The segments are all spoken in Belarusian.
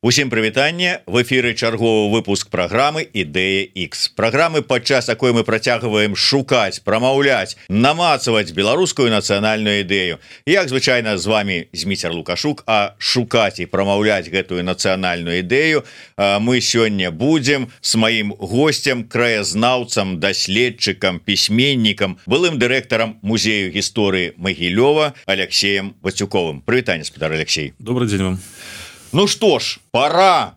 Усім прывітанне, в эфіры чарговы выпуск праграмы Ідэя X. Праграмы, падчас якой мы працягваем шукаць, прамаўляць, намацаваць беларускую нацыянальную ідэю. Як звычайна з вами Зміцер Лукашук, а шукаць і прамаўляць гэтую нацыянальную ідэю мы сёння будзем з маім госцем, краязнаўцам, даследчыкам, пісьменнікам, былым дырэктарам музею гісторыі Магілёва Алексеем Вацюковым. Прывітанне, спадар Алексей. Добрый день вам. Ну что ж, пора,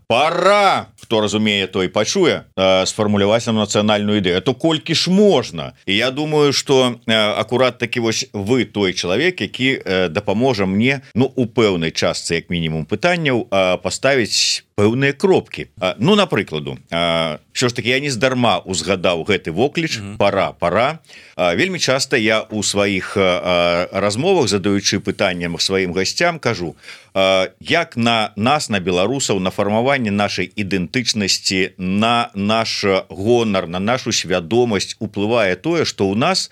хто разумее, той пачуе, сфармуляваць нам нацыянальную ідэю. То колькі ж можна. І я думаю, что акурат такі вось вы той чалавек, які дапаможа мне, ну, у пэўнай частцы, як мінімум, пытанняў паставіць пэўныя кропкі. Ну, напрыкладу, що ж таки, я не здарма узгадаў гэты вокліч, пора. Вельмі часта я у сваіх размовах, задаючы пытанням сваім гасцям, кажу, як на нас, на беларусаў, на фармаванне нашай ідэнтычнасці, на наш гонар, на нашу свядомасць уплывае тое, што ў нас,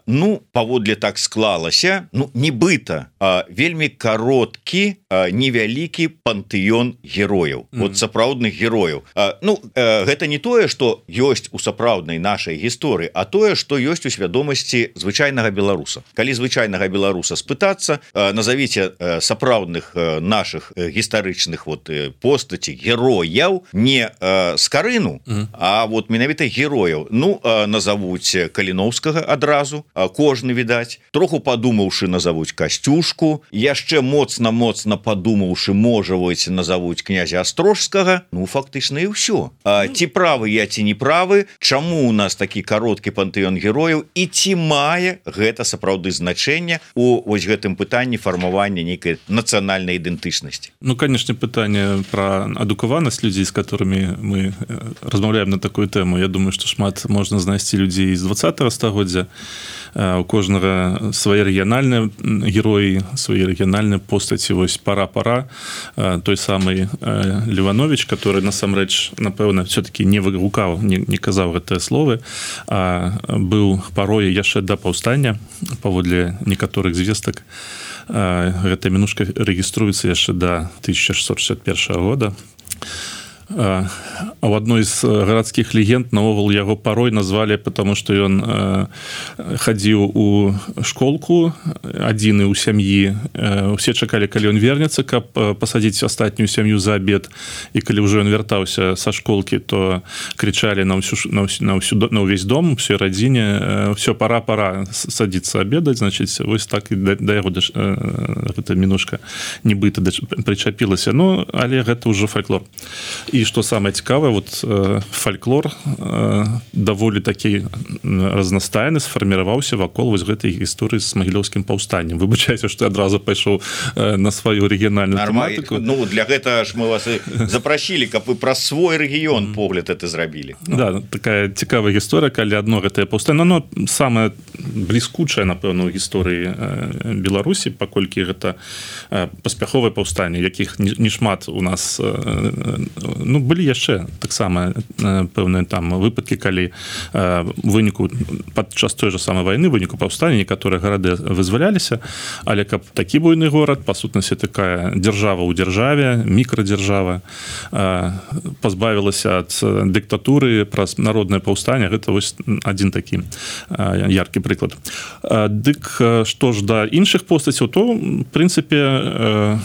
ну, паводле так склалася, ну, нібыта, вельмі кароткі, невялікі пантэён герояў, вот сапраўдных герояў. Ну, гэта не тое, што ёсць у сапраўднай нашай гісторыі, а тое, што ёсць у свядомасці звычайнага беларуса. Калі звычайнага беларуса спытацца, назавіце сапраўдных нашых гістарычных вот постаці, герояў, не Скарыну, а вот менавіта герояў. Ну, назавуць Каліноўскага адразу, кожны, відаць, троху падумаўшы, назавуць Касцюшку, яшчэ моцна падумаўшы, можа, вось назавуць князя Астрожскага. Ну, фактычна і ўсё. Ці правы я, ці не правы, чаму у нас такі кароткі пантэён герояў, і ці мае гэта сапраўды значэнне у вось гэтым пытанні фармавання нейкай нацыянальнай ідэнтычнасці? Ну, конечно, пытанне пра адукаванасць людзей, з которыми мы размаўляем на такую тэму. Я думаю, што шмат можна знайсці людзей з 20-го стагоддзя. У кожнага свае рэгіянальныя героі, свае рэгіянальныя постаці. Вось пара той самы Леванович, который насамрэч, напэўна, все-таки не выгукаў, не казаў гэтыя словы, а быў парой яшчэ да паўстання, паводле некаторых звестак. Гэтая мінушка рэгіструецца яшчэ да 1661 года. А в одной из гарадскіх легенд наогул яго парой назвалі, потому что ён хадзіў у школку адзіны ў сям'і. Усе чакалі, калі ён вернецца, каб пасадзіць астатнюю сям'ю за абед. І калі ўжо ён вяртаўся са школкі, то крычалі на ўвесь дом, усёй радзіне: «Всё, пора садзіцца абедаць». Значит, вось так і да яго гэта мінушка нібыта прычапілася. Ну, але гэта ўжо фальклор. І што самае цікавае, вот фальклор даволі такі разнастайны сфарміраваўся вакол вось гэтай гісторыі з магілёўскім паўстаннем. Выбачайце, што адразу пайшоў на сваю рэгіянальную тэматыку. Ну, для гэта ж мы вас запрасілі, каб вы праз свой рэгіён погляд это зрабілі. Да, такая цікавая гісторыя, калі адно гэтае паўстанне, но самае бліскучае, напэўна, у гісторыі Беларусі, паколькі гэта паспяховае паўстанне, якіх не шмат у нас. Ну, былі яшчэ таксама пэўныя там выпадкі, калі выніку падчас той же самай вайны, выніку паўстання некаторыя гарады вызваляліся, але каб такі буйны горад, па сутнасці такая дзяржава ў дзяржаве, мікрадзяржава, пазбавілася ад дыктатуры праз народнае паўстанне, гэта вось адзін такі яркі прыклад. Дык што ж да іншых постацяў, то, в прынцыпе,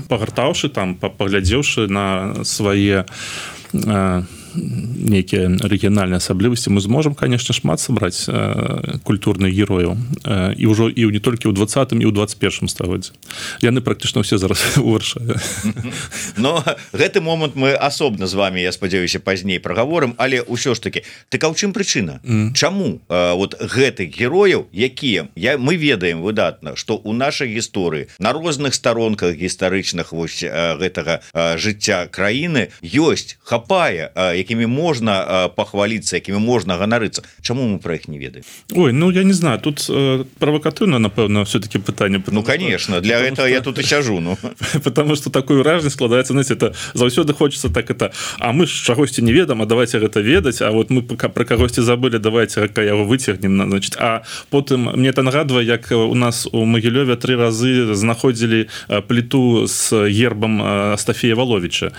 пагартаўшы там, паглядзеўшы на свае нейкія рэгіянальныя асаблівасці, мы зможам, конечно, шмат сабраць культурных герояў. І ўжо і не толькі ў 20-м, і ў 21-м стагоддзі. Яны практычна ўсе зараз у Варшаве. Но гэты момант мы асобна з вами, я спадзяюся, пазней прагаворым, але ўсё ж таки, так а ў чым прычына? Чаму вот гэтых герояў, якія мы ведаем выдатна, што ў нашай гісторыі на розных старонках гістарычных вось гэтага жыцця краіны ёсць, хапае якімі можна пахваліцца, якімі можна ганарыцца, чаму мы про іх не ведаем? Ой, ну я не знаю, тут провокативно, напэўна, все-таки пытанне. Ну конечно, для этого я тут и сяжу, ну. Потому что такое ўражанне складаецца, знаете, это заўсёды хочется так это, а мы ж чагосьці не ведам, а давайте гэта ведаць, а вот мы про кагосьці забыли, давайте яго выцягнем, значит. А потым мне это нагадвае, як у нас у Магілёве 3 разы знаходзілі плиту с гербом Астафея Воловича.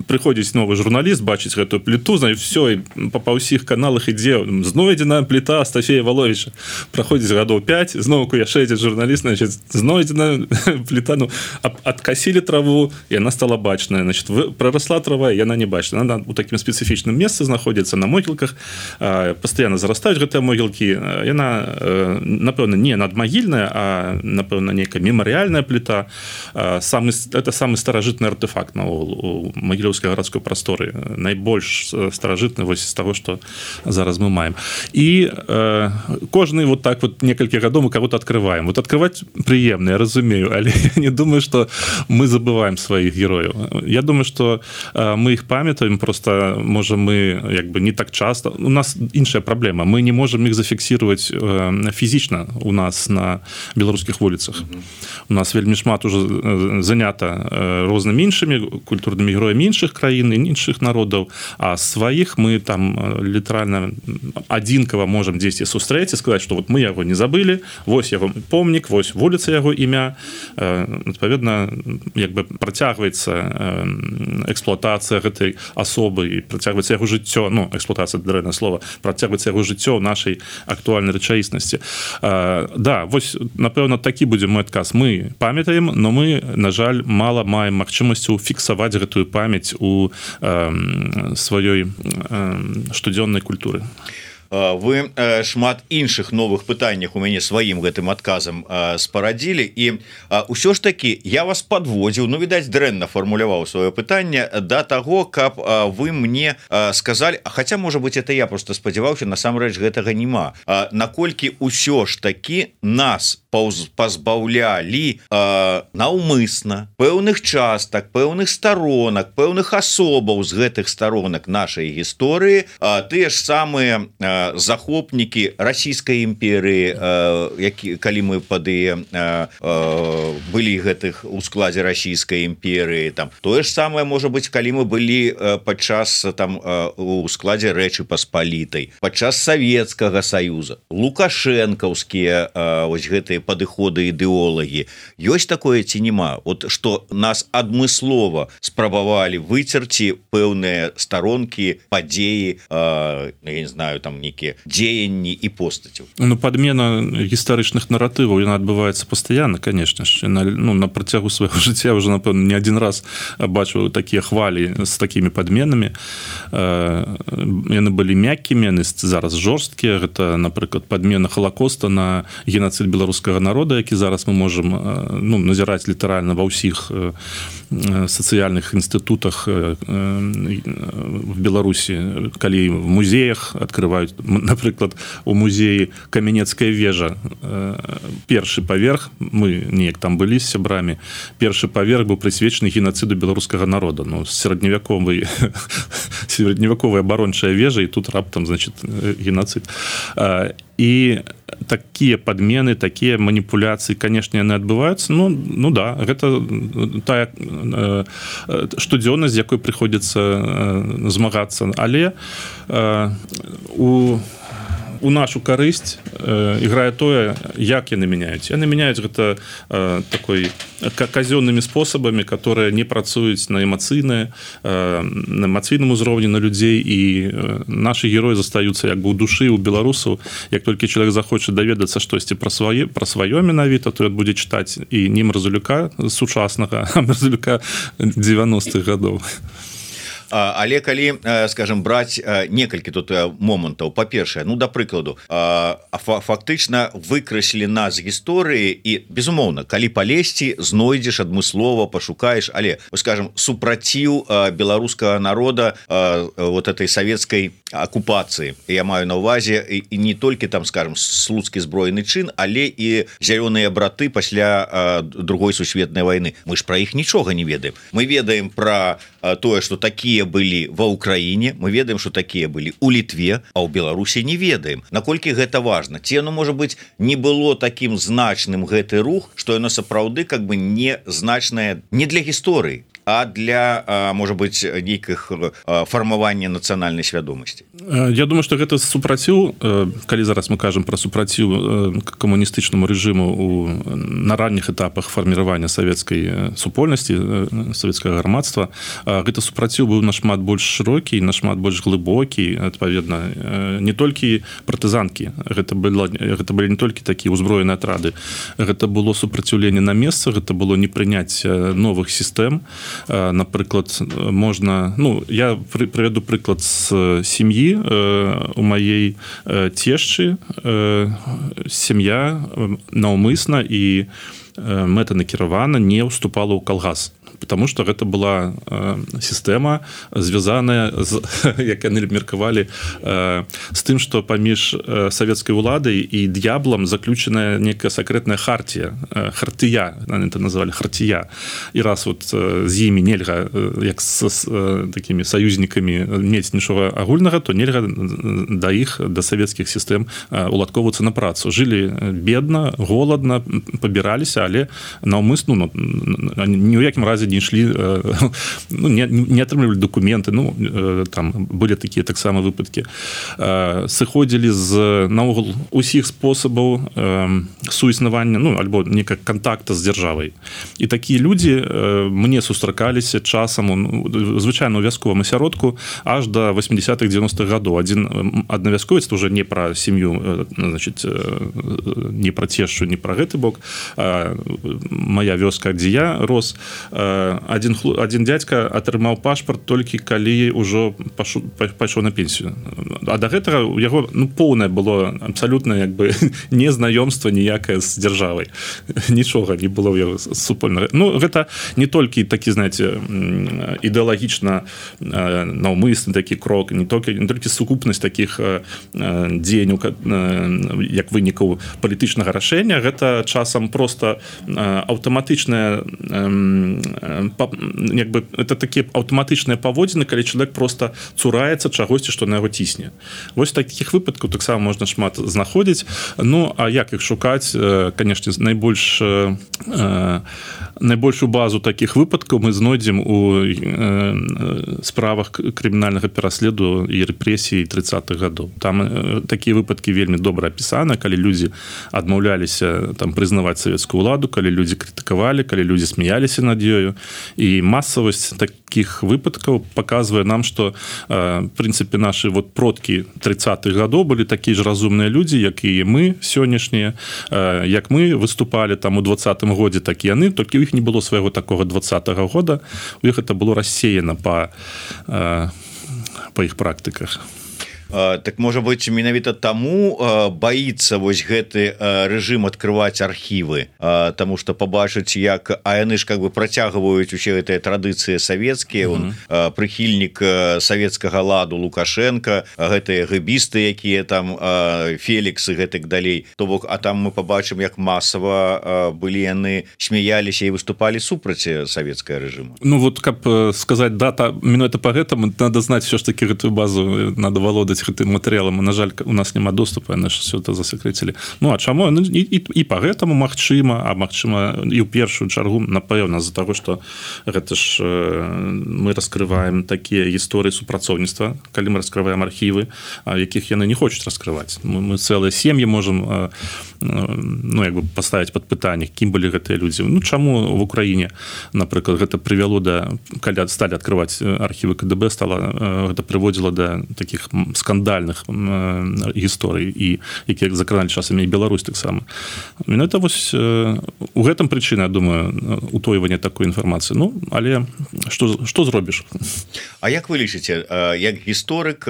Приходзіць новый журналіст, бачыць гэтую плиту, знаю, все, і па ўсіх каналах ідзе, знойдзена плита Астафея Воловича. Праходзіць гадоў 5, зноўку яшчэ адзін журналіст, значит, знойдзена плита, ну, откосили траву, и она стала бачная, значит, проросла трава, и она не бачная. Она у таким специфичным месте находится на могилках, постоянно зарастают гэтыя могилки, и она, напэўна, не надмагільная, а, напэўна, некая мемориальная плита. Это самый старажытны артефакт у Магілёўскай гарадской прасторы, найбольш старажытны вось з того, что зараз мы маем. И кожны вот так вот некалькі гадоў мы кого-то открываем. Вот открывать приемно, я разумею, але я не думаю, что мы забываем своих героев. Я думаю, что мы их памятаем, просто можем мы як бы не так часто. У нас іншая проблема. Мы не можем их зафиксировать физично у нас на белорусских улицах. У нас вельмі шмат уже занята рознымі іншымі культурнымі героямі іншых краін і іншых народаў, а сваіх мы там літаральна адзінкава можем дзесьці сустрэць і сказаць, што вот мы яго не забылі, вось яго помнік, вось вуліца яго імя. Адпаведна, як бы працягваецца эксплуатацыя гэтай асобы і працягваецца яго жыццё, ну, эксплуатацыя дрэннае слова, працягваецца яго жыццё ў нашай актуальнай рэчаіснасці. Да, вось, напэўна, такі будзе мой адказ. Мы памятаем, но мы, на жаль, мала маем магчымасцю фіксаваць гэтую памяць у сваёй штодзённай культуры. Вы шмат іншых новых пытаннях у мяне сваім гэтым адказам спарадзілі, і ўсё ж таки я вас подводзіў, ну, відаць, дрэнна фармуляваў сваё пытанне да таго, каб вы мне сказалі, хаця, можа быть, это я просто спадзяваўся, насамрэч гэтага няма, наколькі ўсё ж таки нас пазбаўлялі наўмысна пэўных частак, пэўных сторонак, пэўных асобаў з гэтых сторонак нашай гісторыі, тыя ж самыя захопнікі расійскай імперыі, калі мы пады былі гэтых у складзе расійскай імперыі, там тое ж самае можа быць, калі мы былі падчас там у складзе Рэчы Паспалітай, падчас Савецкага Саюза, лукашэнкаўскія вось гэтыя падыходы ідэолагі. Ёсць такое ці няма? Вот што нас адмыслова спрабавалі выцерці пэўныя старонкі, падзеі, я не знаю, там некія дзеянні і постацяў. Ну, падмена гістарычных наратываў, яна адбываецца пастаянна, конечно ж. На працягу свайго жыцця уже, напэўна, не адзін раз бачыў такія хвалі з такімі падменамі. Яны былі мяккімі, яны зараз жорсткія. Гэта, напрыклад, падмена Халакоста на геноцид беларускага народа, які зараз мы можам назіраць літаральна ва ўсіх сацыяльных інстытутах в Беларусі, калі в музеях открываюць, напрыклад, у музеі Камянецкая вежа, першы паверх, мы неяк там былі з сябрамі, першы паверх быў прысвечаны геноциду беларускага народа, ну, сярэдневяковая абарончая вежа, і тут раптам, значит, геноцид. І такія падмены, такія маніпуляцыі, канешне, яны адбываюцца. Ну да, гэта тая штодзённасць, з якой прыходзіцца змагацца, але у нашу карысць іграе тое, як яны мяняюць. Яны мяняюць гэта такой казённымі спосабамі, которые не працуюць на эмацыйным узроўні на людзей, і нашы героі застаюцца як бы ў душы у беларусаў. Як толькі чалавек захоча даведацца штосьці пра сваё менавіта, то ён будзе чытаць і не Мразулюка сучаснага, а Мразулюка 90-х гадоў. Але калі, скажем, браць некалькі тут момантаў, па-першае, ну, да прыкладу, фактычна выкраслі нас з гісторыі, і, безумоўна, калі палезці, знойдзеш адмыслова, пашукаеш, але, скажем, супраціў беларускага народа вот этой савецкай акупацыі. Я маю на ўвазе і не толькі там, скажем, слуцкі збройны чын, але і зялёныя браты пасля другой сусветнай вайны. Мы ж пра іх нічога не ведаем. Мы ведаем пра тое, што такія былі ва ўкраіне, мы ведаем, што такія былі ў Літве, а ў Беларусі не ведаем. Наколькі гэта важна? Ці яно, можа быць, не было такім значным гэты рух, што яно сапраўды как бы не значнае не для гісторыі, а для, можа быць, нейкіх фармавання нацыянальнай свядомасці. Я думаю, што гэта супраціў, калі зараз мы кажам пра супраціў камуністычнаму рэжыму на ранніх этапах фарміравання савецкай супольнасці, савецкага грамадства, гэта супраціў быў нашмат больш шырокі, нашмат больш глыбокі, адпаведна, не толькі партызанкі, гэта былі не толькі такія ўзброеныя атрады, гэта было супраціўленне на месцах, гэта было не прыняць новых сістэм. Напрыклад, можна, я прывяду прыклад з сям'і. У маей цешчы сям'я наўмысна і мэтанакіравана не ўступала ў калгас, потому что гэта была сістэма, звязаная з, як яны меркавалі, з тым, што паміж савецкай уладай і д'яблам заключаная некая сакрэтная хартія, яны это называлі хартія. І раз вот з імі нельга, як з такімі саюзнікамі, мець нічога агульнага, то нельга да іх, да савецкіх сістэм уладковацца на працу. Жылі бедна, голадна, пабіраліся, але наўмысна, ні ў якім разе не ішлі, не атрымлівалі дакументы, там былі такія таксама выпадкі. Сыходзілі з наогул усіх спосабаў суіснавання, альбо некага кантакта з дзяржавай. І такія людзі мне сустракаліся часам, звычайна ў вясковым асяродку, аж да 80-х, 90-х гадоў. Адна вясковец, уже не пра сям'ю, значит, не пра цешчу, не пра гэты бок, моя вёска, дзе я рос, один дядька атрымаў пашпарт толькі калі ўжо пайшоў на пенсію. А да гэтага у яго поўнае было абсалютна як бы незнаёмства ніякае з дзяржавай. Нічога не было ў яго супольнага. Гэта не толькі такі, знаете, ідэалагічна наўмысны такі крок, не толькі сукупнасць такіх дзеянняў як вынікаў палітычнага рашэння, гэта часам просто аўтаматычная это такія аўтаматычныя паводзіны, калі чалавек просто цураецца чагосьці, што на яго цісне. Вось такіх выпадкаў таксама можна шмат знаходзіць. А як іх шукаць? Канешне, найбольшую базу такіх выпадкаў мы знойдзем у справах крымінальнага пераследу і рэпрэсіі 30-х гадоў. Там такія выпадкі вельмі добра апісаны, калі людзі адмаўляліся там прызнаваць савецкую ўладу, калі людзі крытыкавалі, калі людзі смяяліся над ёю. І масавасць такіх выпадкаў паказвае нам, што в прынцыпе нашы продкі 30-х гадоў былі такія ж разумныя людзі, як і мы сённяшнія, як мы выступалі там у 20-м годзе, так і яны, толькі ў іх не было свайго такога 20-го года, у іх это было рассеяна па іх практыках. Так, можа быць, менавіта таму баіцца вось гэты рэжым адкрываць архівы, таму што пабачыць, як яны ж как бы працягваюць усе гэтыя традыцыі савецкія, прыхільнік савецкага ладу Лукашенко, гэтыя гэбісты, якія там Фелікс і гэтак далей. То бок, а там мы пабачым, як масава былі яны смяяліся і выступалі супраць савецкага рэжыму. Вот, каб сказаць дата, менавіта па гэтаму, надо знаць все ж таки гэтую базу, надо валодаць гэтым матэрыялам. На жаль, у нас няма доступу, яны ж все это засакрэцілі. А чаму? І па гэтаму магчыма, а магчыма і ў першую чаргу, напэўна, з-за таго, што гэта ж мы раскрываем такія гісторыі супрацоўніцтва, калі мы раскрываем архівы, якіх яны не хочуць раскрываць. Мы цэлыя сем'і можам як бы паставіць пад пытанне, кім былі гэтыя людзі. Чаму в Украіне, напрыклад, гэта прывяло да, калі сталі адкрываць архівы КДБ, гэта прыводзіла да такіх скандальных гісторый, і якія закраналі часамі і Беларусь таксама. Менавіта вось у гэтым прычына, я думаю, утойвання такой інфармацыі. Але што зробіш? А як вы лічыце, як гісторык,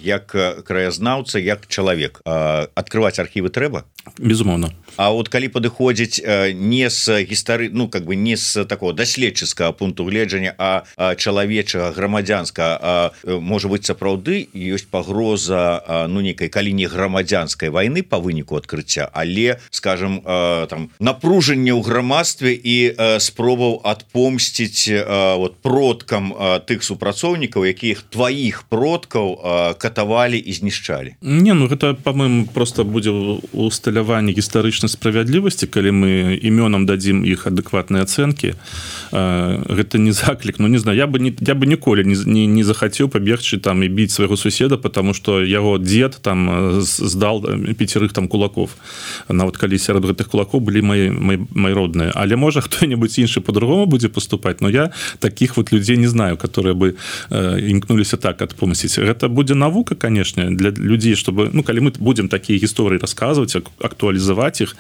як краязнаўца, як чалавек, адкрываць архівы трэба? Безумоўна. А от калі падыходзіць не з гістары, как бы не з такого даследчыцкага пункту гледжання, а чалавечага, грамадзянскага, можа быць, сапраўды ёсць пагроза пагроза ну некай калі не грамадзянскай войны по выніку адкрыцця, але скажем там напружанне ў грамадстве і спробаў адпомсціць вот продкам тых супрацоўнікаў, якіх тваіх продкаў катавалі і знішчалі. Не, ну гэта по-моему просто будзе усталяванне гістарычнай справядлівасці, калі мы імёнам дадзім іх адэкватныя ацэнкі. Гэта не заклік, ну не знаю, я бы ніколі не захацеў пабегчы там і біць свайго суседа, потому что яго дзед там здал 5 там кулаков. Нават калі сярод гэтых кулаков былі мои родныя, але можа хто-нибудь іншы по-другому будзе поступаць, но я таких вот людей не знаю, которые бы імкнуліся так адпомсціць. Гэта будзе навука, конечно, для людзей, чтобы, ну калі мы будем такія гісторыі расказваць, актуалізаваць іх,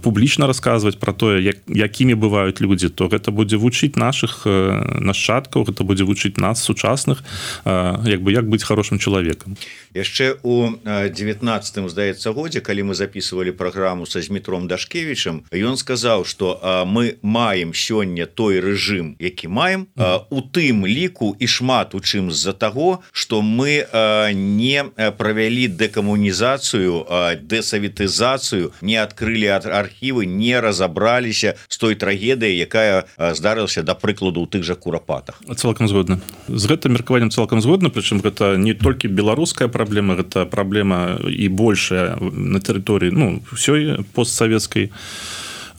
публічна расказваць про тое, якімі бываюць людзі, то гэта будзе вучыць наших нашчадкаў, гэта будзе вучыць нас сучасных, як быць хорошим чалавекам. Яшчэ у 19-м, здаецца, годзе, калі мы записывалі праграму са Змітром Дашкевічам, ён сказаў, што мы маем сёння той рэжым, які маем, у тым ліку і шмат у чым з-за таго, што мы не правялі дэкамунізацыю, дэсаветызацыю, не адкрылі архівы, не разабраліся з той трагедыяй, якая здарылася, да прыкладу, у тых жа Курапатах. Цалкам згодна. З гэтым меркаваннем цалкам згодна, прычым гэта не толькі беларуская праблема, гэта праблема і большая на тэрыторыі, ну, ўсёй постсавецкай,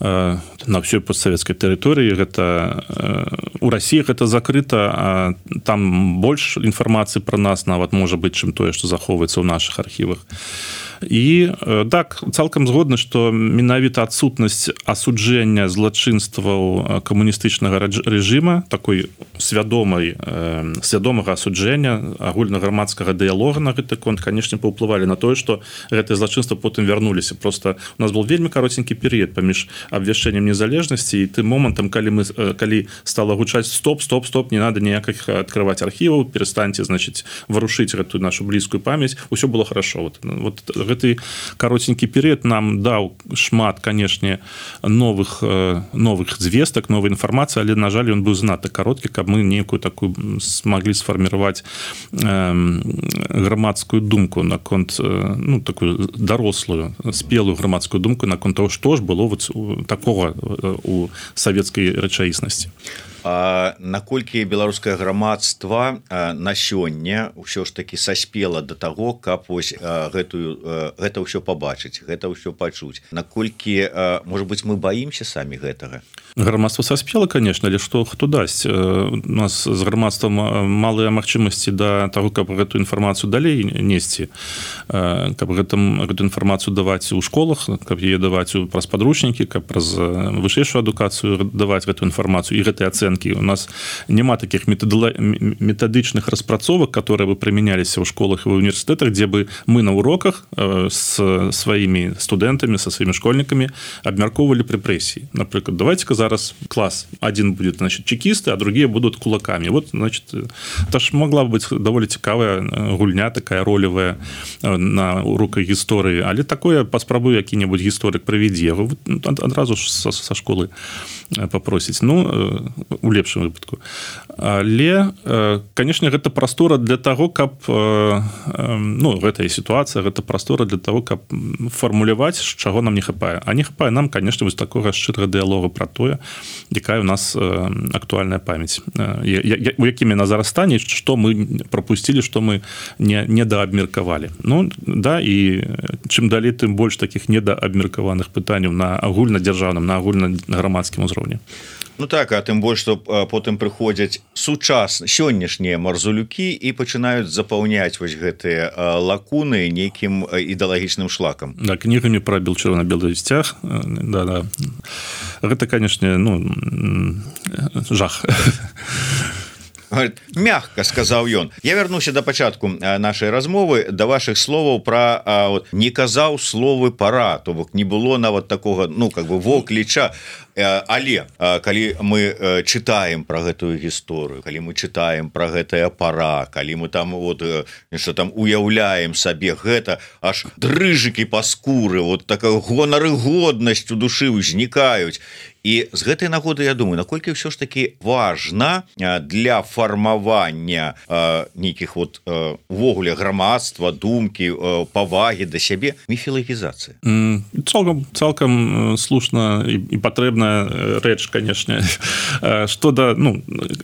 на ўсёй постсавецкай тэрыторыі. Гэта у Расіі гэта закрыта, а там больш інфармацыі пра нас нават можа быць, чым тое, што захоўваецца ў нашых архівах. І так, цалкам згодна, што менавіта адсутнасць асуджэння злачынстваў камуністычнага рэжыма, такой свядомага асуджэння, агульнаграмадскага дыялога на гэты конт, канешне, паўплывалі на тое, што гэтыя злачынствы потым вярнуліся. Просто у нас был вельмі каротенькі перыяд паміж абвяшчэннем незалежнасці і тым момантам, калі стала гучаць стоп, не надо ніякіх адкрываць архіваў, перестаньте, значит, варушыць гэтую нашу блізкую памяць, усё было хорошо. Вот гэты каротенькі перыяд нам даў шмат, канешне, новых звестак, новай інфармацыі, але, на жаль, ён быў занадта кароткі, каб мы нейкую такую смаглі сфарміраваць грамадскую думку наконт, ну, такую дарослую, спелую грамадскую думку наконт того, што ж было вот такога у савецкай рэчаіснасці. Наколькі беларускае грамадства на сёння ўсё ж таки саспела да таго, каб вось гэта ўсё пабачыць, гэта ўсё пачуць. Наколькі, можа быць, мы баімся самі гэтага? Грамадства саспела, конечно, але хто дасць? У нас з грамадствам малыя магчымасці да таго, каб гэту інфармацыю далей несці, каб гэту інфармацыю даваць у школах, каб яе даваць праз падручнікі, каб праз вышэйшую адукацыю даваць гэту інфармацыю і гэтыя ацэнкі. У нас няма таких методичных распрацовак, которые бы применялись в школах и в университетах, где бы мы на уроках с своими студентами, со своими школьниками обмярковывали репрессии. Например, давайте-ка зараз класс один будет, значит, чекисты, а другие будут кулаками. Вот, значит, это ж могла быть довольно цікавая гульня, такая ролевая на уроках истории. Але такое паспрабую які-небудзь гісторык правядзі. Яго адразу ж со школы попросіць. Ну, у лепшым выпадку. Але, конечно, гэта прастора для того, каб, ну, гэтая сітуацыя, гэта прастора для того, каб фармуляваць, чаго нам не хапае. А не хапае нам, конечно, вось такога шчырага дыялога пра тое, якая у нас актуальная памяць. У якім яна зараз стане, што мы прапусцілі, што мы недаабмеркавалі. Ну, да, і чым далей, тым больш такіх недаабмеркаваных пытанняў на агульнадзяржаўным, на агульнаграмадскім узроўні. Ну так, а тым больш, што потым прыходзяць сённяшнія марзулюкі і пачынаюць запаўняць вось гэтыя лакуны нейкім ідэалагічным шлакам. Да, кнігамі пра чырвона-белы сцяг. Да. Гэта, канешне, ну, жах. Мягка, сказаў ён. Я вярнуся да пачатку нашай размовы, да вашых словаў пра не казаў словы пара, то бок не было нават такога, ну, как бы вокліча. Але калі мы чытаем пра гэтую гісторыю, калі мы чытаем пра гэтая пара, калі мы там вот нешта там уяўляем сабе, гэта аж дрыжыкі па скуры, вот такая гонар і годнасць у душы ўзнікаюць. і з гэтай нагоды я думаю, наколькі ўсё ж таки важна для фармавання нейкіх вот увогуле грамадства, думкі, павагі да сябе міфілагізацыя. Цалкам слушна і патрэбная рэч, канешне. Што да,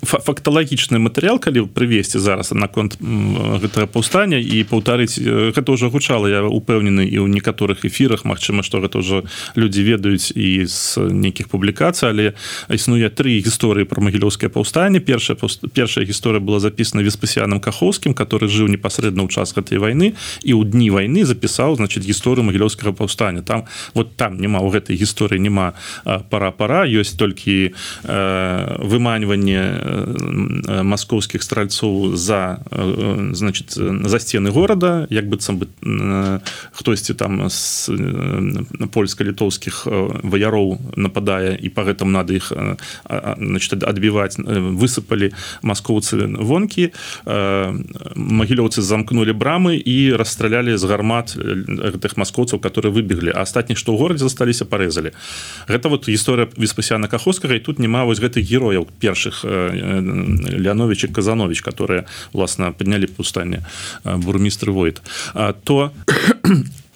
факталагічны матэрыял, калі прывесці зараз наконт гэтага паўстання і паўтарыць, гэта ўжо гучала, я упэўнены і ў некаторых эфірах, магчыма, што гэта ўжо людзі ведаюць і з нейкіх публікацый, але існуе 3 гісторыі пра магілёўскае паўстанне. Першая гісторыя была запісана Веспасіянам Кахоўскім, который жыў непасрэдна ў час гэтай вайны і ў дні вайны запісаў, значит, гісторыю магілёўскага паўстання. Там няма, у гэтай гісторыі няма пара-пара, ёсць толькі выманьванне маскоўскіх стральцоў за сцены горада, як быццам бы хтосьці там з польска-літоўскіх ваяроў нападае і па гэтым надо іх адбіваць, высыпалі маскоўцы вонкі, магілёўцы замкнулі брамы і расстралялі з гармат гэтых маскоўцаў, которые выбеглі, а астатніх, што ў горадзе засталіся, парэзалі. Гэта вот гісторыя Веспасіяна Кахоўскага, і тут няма вось гэтых герояў першых Леанович і Казанович, которые власна паднялі паўстанне, бурмістр Войт. То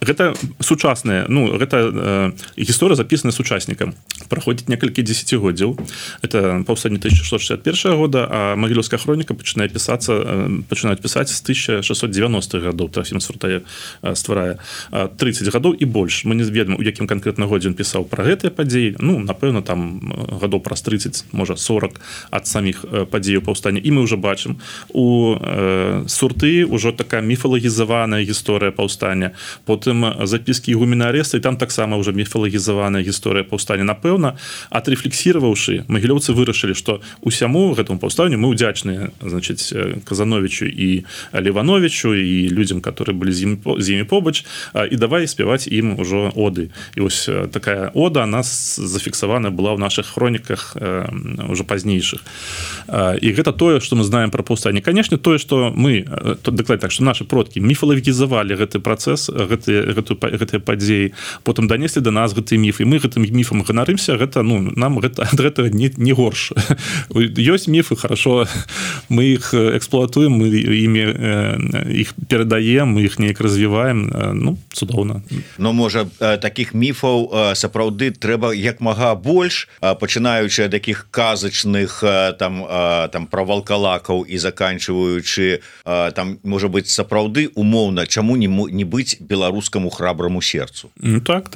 гэта сучасная, гэта гісторыя запісаная сучаснікам. Праходзіць некалькі дзесяцігоддзяў. Это паўстанне 1661 года, а магілёўская хроніка пачынаюць пісаць з 1690-х гадоў. Трофім Суртае стварае 30 гадоў і больш. Мы не ведаем, у якім канкрэтна годзе ён пісаў пра гэтыя падзеі. Напэўна, там гадоў праз 30, можа 40 ад саміх падзеяў паўстання. І мы ўжо бачым, у Сурты ўжо такая міфалагізаваная гісторыя паўстання. Потым запіскі ігумена Арэста, і там таксама ўжо міфалагізаваная гісторыя паўстання. Напэўна, адрэфлексіраваўшы, магілёўцы вырашылі, што усяму гэтаму паўстанню мы ўдзячныя, значыць, Казановичу і Левановичу і людзям, которые былі з імі побач, і давай спяваць ім ужо оды. І вось такая ода, она зафіксавана была ў нашых хроніках ўжо пазнейшых. І гэта тое, што мы знаем пра паўстанне. Канешне, тое, што мы, дакладна так, што нашы продкі міфалагізавалі гэты працэс, гэтыя падзеі, потым данеслі да нас гэты міф, і мы гэтым міфам ганарымся, гэта, нам гэта ад гэтага не горш. Ёсць міфы, хорошо, мы іх эксплуатуем, мы іх перадаем, мы іх неяк развіваем, цудоўна. Но, можа, такіх міфаў сапраўды трэба як мага больш, пачынаючы ад такіх казачных там пра валкалакаў і заканчваючы там, можа быць, сапраўды умоўна, чаму не быць беларускаму храбраму сердцу. Так.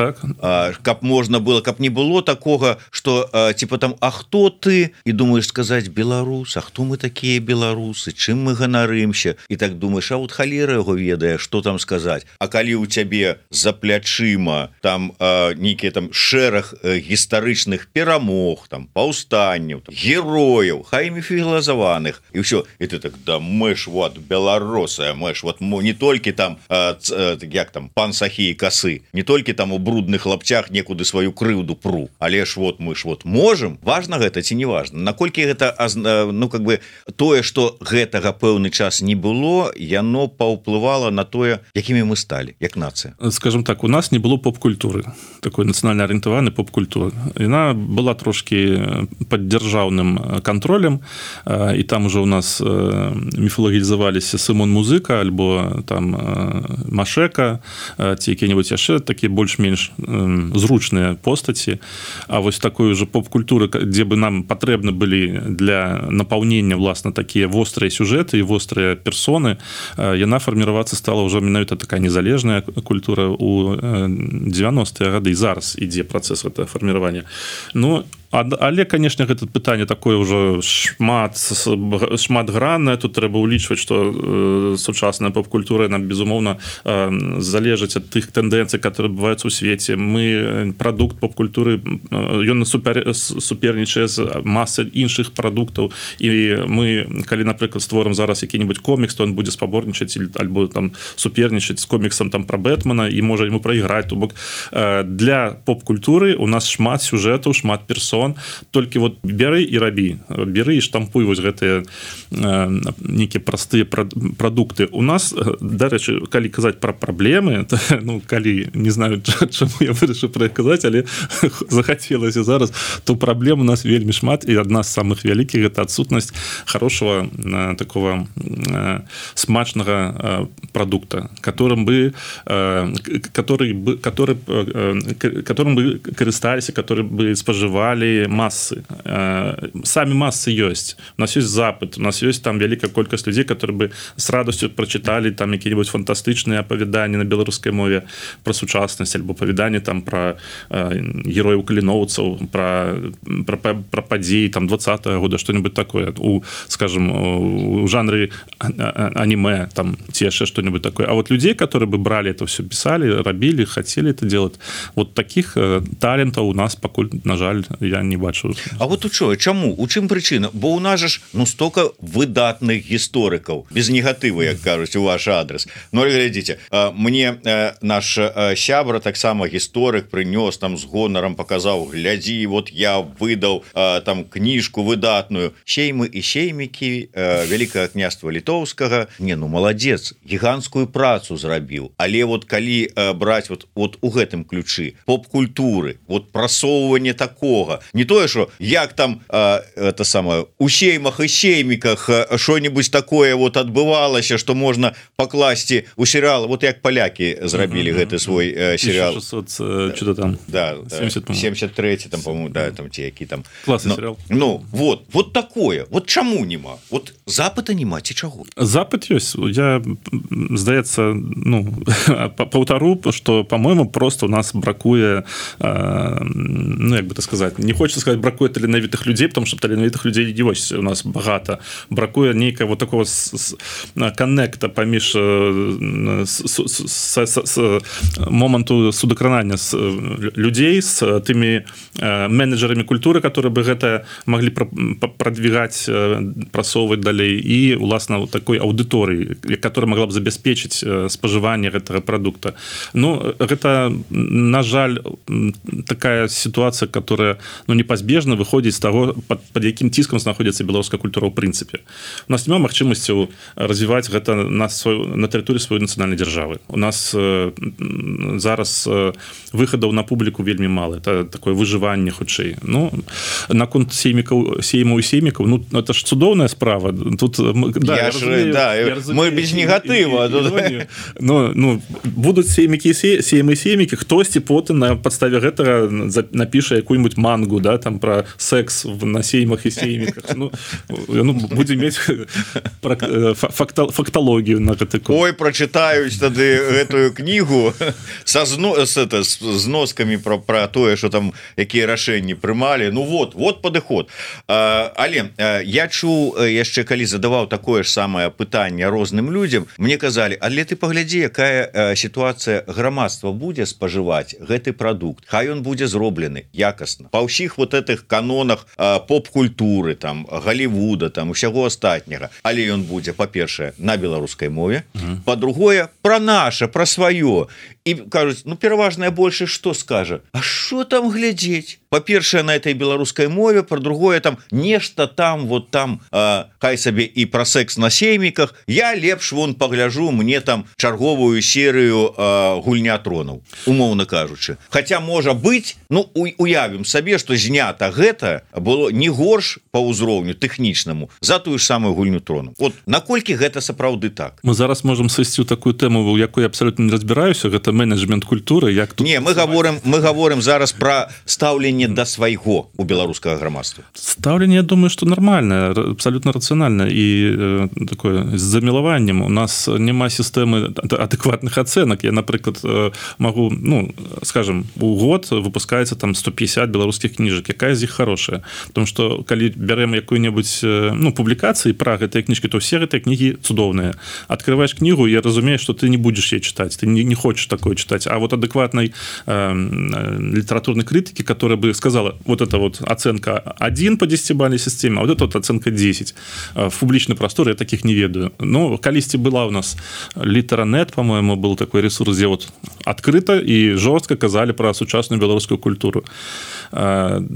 Каб можна было, каб не было такога, што типа там, а хто ты? І думаеш сказаць беларус, а хто мы такія беларусы, чым мы ганарымся? І так думаеш, а вот халера яго ведае, што там сказаць. А калі ў цябе за плячыма там нейкія там шэраг гістарычных перамог, там паўстанняў, герояў, хай міфалагізаваных, і ўсё, і ты так, да мы ж вот беларусы, мы ж вот не толькі там як там пан Сахі і касы, не толькі там у брудных лапцях некуды сваю крыўду пру, але ж вот мы ж вот можем. Важна гэта ці не важна? Наколькі гэта, как бы тое, што гэтага пэўны час не было, яно паўплывала на тое, якімі мы сталі, як нацыя? Скажем так, у нас не было поп-культуры, такой нацыянальна арыентаванай поп-культуры. Яна была трошки пад дзяржаўным кантролем, і там уже у нас міфалагізаваліся Сымон Музыка, альбо там Машека, ці якія-небудзь яшчэ такія больш-менш зручныя постаці. А вось такой уже поп-культуры, дзе бы нам патрэбны былі для напаўнення, власна, такія вострыя сюжэты і вострыя персоны, яна фарміравацца стала ўжо менавіта такая незалежная культура ў 90-е гады, і зараз ідзе працэс гэтага фарміравання. Але, канешне, гэта пытанне такое ўжо шматграннае. Тут трэба ўлічваць, што сучасная поп-культура нам, безумоўна, залежыць ад тых тэндэнцый, которые бываюць у свеце. Мы прадукт поп-культуры, ён супернічае з масай іншых прадуктаў, і мы, калі, напрыклад, створым зараз які-небудзь комікс, то ён будзе спаборнічаць альбо там супернічаць з коміксам там пра Бэтмена і можа яму прайграць. То бок для поп-культуры у нас шмат сюжэтаў, шмат персон, шаблон, толькі вот бяры і рабі, бяры і штампуй вось гэтыя нейкія простыя прадукты. У нас, дарэчы, калі казаць пра праблемы, ну, калі не знаю, чаму я вырашыў пра іх казаць, але захацелася зараз, то праблем у нас вельмі шмат, і адна з самых вялікіх гэта адсутнасць хорошего такого смачнага продукта, которым бы карысталіся, который бы спажывалі массы. Самі массы ёсць. У нас ёсць запыт, у нас ёсць там вялікая колькасць людзей, которые бы с радостью прочитали там какие-нибудь фантастычныя апавяданні на беларускай мове про сучаснасць альбо апавяданні там про герояў каліноўцаў, про падзеі там 20-го года, что-нибудь такое скажем, у жанры аниме там ці яшчэ что-нибудь такое. А вот людей, которые бы брали это все, писали, рабілі, хотели это делать, вот таких талентаў у нас пакуль, на жаль, я не бачу. А вот у чого? Чаму? У чым прычына? Бо у нас ж ну столько выдатных гісторыкаў, без негатыву, як кажуць, у ваш адрес. Ну, глядзіце, мне наш сябра таксама гісторык прынёс там з гонарам, паказаў, глядзі, вот я выдаў там кніжку выдатную. Сеймы і сеймікі Вялікага княства Літоўскага. Не, ну маладзец, гіганцкую працу зрабіў. Але вот калі браць вот у гэтым ключы поп-культуры, вот прасоўванне такога, не тое, што як там это самае у сеймах і сейміках что-нибудь такое вот адбывалася, што можна пакласці у серыал, вот як палякі зрабілі гэты свой серыал 1600, что-то там, да, 73 там, по-моему, да, там ці які там класны серыал. Ну, вот такое. Вот чаму нема? Вот запыта нема ці чаго? Запыт ёсць. Я, здаецца, ну, паўтару, што, по-моему, просто у нас бракуе, ну, як бы так сказаць, не хочется сказать, бракуе таленавітых людзей, потому что таленавітых людзей ёсць у нас багата. Бракуе нейкая вот такого коннекта паміж моманту судакранання людзей з тымі менеджерамі культуры, которые бы гэта маглі продвигать, прасоўваць далей, і уласна такой аўдыторыі, которая могла б забяспечыць спажыванне гэтага продукта. Ну, гэта, на жаль, такая ситуация, которая, ну, непазбежна выходзіць з таго, под якім ціскам знаходзіцца беларуская культура ў прынцыпе. У нас няма магчымасцяў развіваць гэта на тэрыторыі сваёй нацыянальнай дзяржавы. У нас зараз выхадаў на публіку вельмі мала. Это такое выжыванне хутчэй. Ну, наконт сеймаў і сеймікаў, ну, это ж цудоўная справа. Тут, да, мы без негатыва. Ну, будуць сеймы і сеймікі, хтосьці потым на падставе гэтага напіша якую-нибудь мангу, да, там про секс на сеймах і сейміках. Ну, будзе мець факталогію на гэты конт. Ой, прачытаюць тады гэтую кнігу са зноскамі про тое, што там якія рашэнні прымалі. Ну вот падыход. Але я чуў яшчэ, калі задаваў такое ж самае пытанне розным людзям, мне казалі, але ты паглядзі, якая сітуацыя, грамадства будзе спажываць гэты прадукт, хай ён будзе зроблены якасна па ўсіх вот этих канонах поп-культуры, там Голливуда, там усяго астатняга, але ён будзе, па-першае, на беларускай мове, па-другое, пра наша, пра сваё. І кажуць, ну, пераважная большасць што скажа? А што там глядзець? Па-першае, на этой беларускай мове, па-другое, там нешта там, вот там, хай сабе і пра секс на сейміках, я лепш вон пагляжу, мне там чарговую серыю гульня тронаў, умоўна кажучы. Хаця можа быць, ну, уявім сабе, што знята гэта было не горш па ўзроўню тэхнічнаму за тую ж самую гульню тронаў. Вот наколькі гэта сапраўды так? Мы зараз можам сысці ў такую тэму, у якой я абсалютна не разбіраюся, гэта менеджмент культуры, як тут... Не, мы говорим зараз про стаўленне да свайго у беларускага грамадства. Стаўленне, я думаю, что нормальное, абсолютно рационально и такое з замілаваннем. У нас няма сістэмы адэкватных ацэнак. Я, напрыклад, могу, ну, скажем, у год выпускаецца там 150 беларускіх кніжак. Якая з іх хорошая? Потому что калі бярем якую-небудзь, ну, публікацыі пра гэтыя кніжкі, то все гэтыя кнігі цудоўныя. Открываешь книгу и разумеешь, что ты не будешь ей читать, ты не хочешь такое читать, а вот адекватной литературной критики, которая бы сказала, вот это вот оценка 1 по 10-бальной системе, а вот это вот оценка 10. В публичный простор я таких не ведаю. Но калісьці была у нас Літэранет, по-моему, был такой ресурс, где вот открыто и жестко казали про сучасную белорусскую культуру.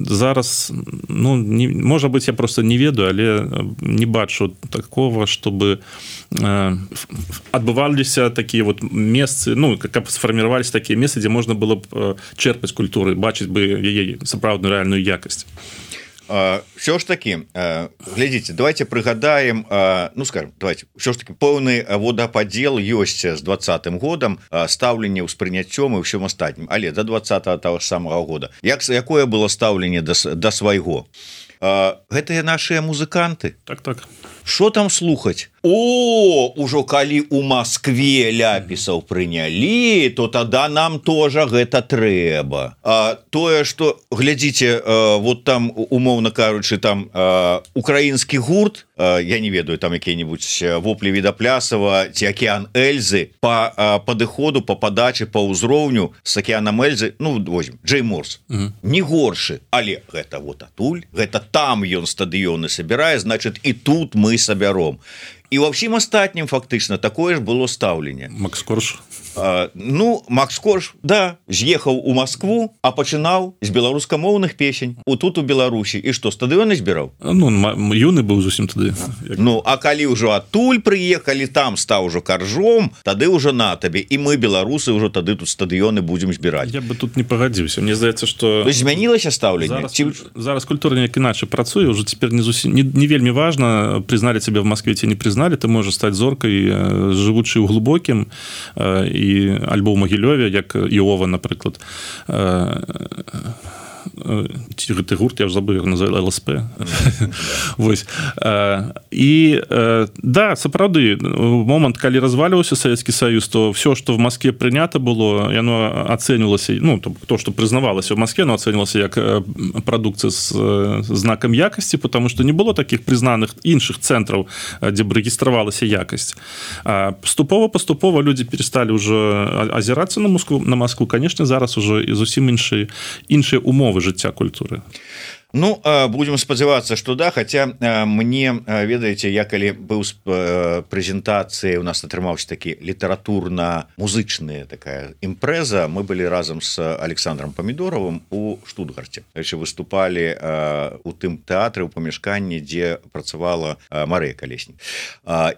зараз можа быть я просто не ведаю, але не бачу такого, чтобы адбываліся такія вот месцы, каб сфарміраваліся такія месцы, дзе можна было б чэрпаць культуры, бачыць бы яе сапраўдную рэальную якасць. Все ж таки, глядзіце, давайте прыгадаем, скажем, давайте, все ж таки пэўны водападзел ёсць з 20-м годам, стаўленне ўспрыняццём і ўсім астатнім, але до 20-го того ж самого года якое было стаўленне да свайго? Гэтыя нашыя музыканты, так что там слухаць? Ужо калі у Москве ляпісаў прынялі, то тада нам тоже гэта трэба. Тое, что, глядзіце, вот там, умоўна кажучы, там украінскі гурт, я не ведаю, там якія-нибудь воплі Відаплясова ці Акіян Эльзы, по падыходу, по падачы, по ўзроўню с Акіянам Эльзы, возьмем, Джей Морс, не горшы, але гэта вот атуль, гэта там ён стадыёны сабірае, значит, і тут мы сабяром. І ва ўсім астатнім фактычна такое ж было стаўленне. Макс Корж. Макс Корж, да, з'ехаў у Москву, а пачынаў з беларускамоўных песень тут у Беларусі. І што, стадыёны збіраў? Юны быў зусім тады. А калі ўжо адтуль прыехалі, там стаў ужо Каржом, тады ўжо на табе. І мы, беларусы, ўжо тады тут стадыёны будзем збіраць. Я бы тут не пагадзіўся. Мне здаецца, што... Змянілася стаўленне? Зараз культура неяк іначай працуе, ўжо цяпер не вельмі важна, прызналі цябе в Москве ці не прызналі, ты можаш стаць зоркай, жывучы ў глубокім, і альбо ў Магілёве, як Іова, напрыклад. Гэты гурт, я ж забыл, як называю, ЛСП. Вось. І, да, сапраўды, момант, калі разваліваўся Савецкі Саюз, то все, што в Москве прынята было, яно ацэньвалася, то, што прызнавалася в Москве, оно ацэньвалася як прадукцыя з знакам якасці, потому што не было такіх прызнаных іншых цэнтраў, дзе б рэгістравалася якасць. Паступова людзі пересталі ўжо азірацца на Москву. Конечно, зараз ужо зусім іншыя умовы жыцця культуры. Будем спадзявацца, что да, хотя мне, ведаеце, я калі быў з прэзентацыяй, у нас атрымаўся такі літаратурна-музычная такая імпрэза, мы былі разам з Александром Памідоровым у Штутгарце. Выступалі у тым тэатры, у памяшканні, дзе працавала Марыя Калеснік.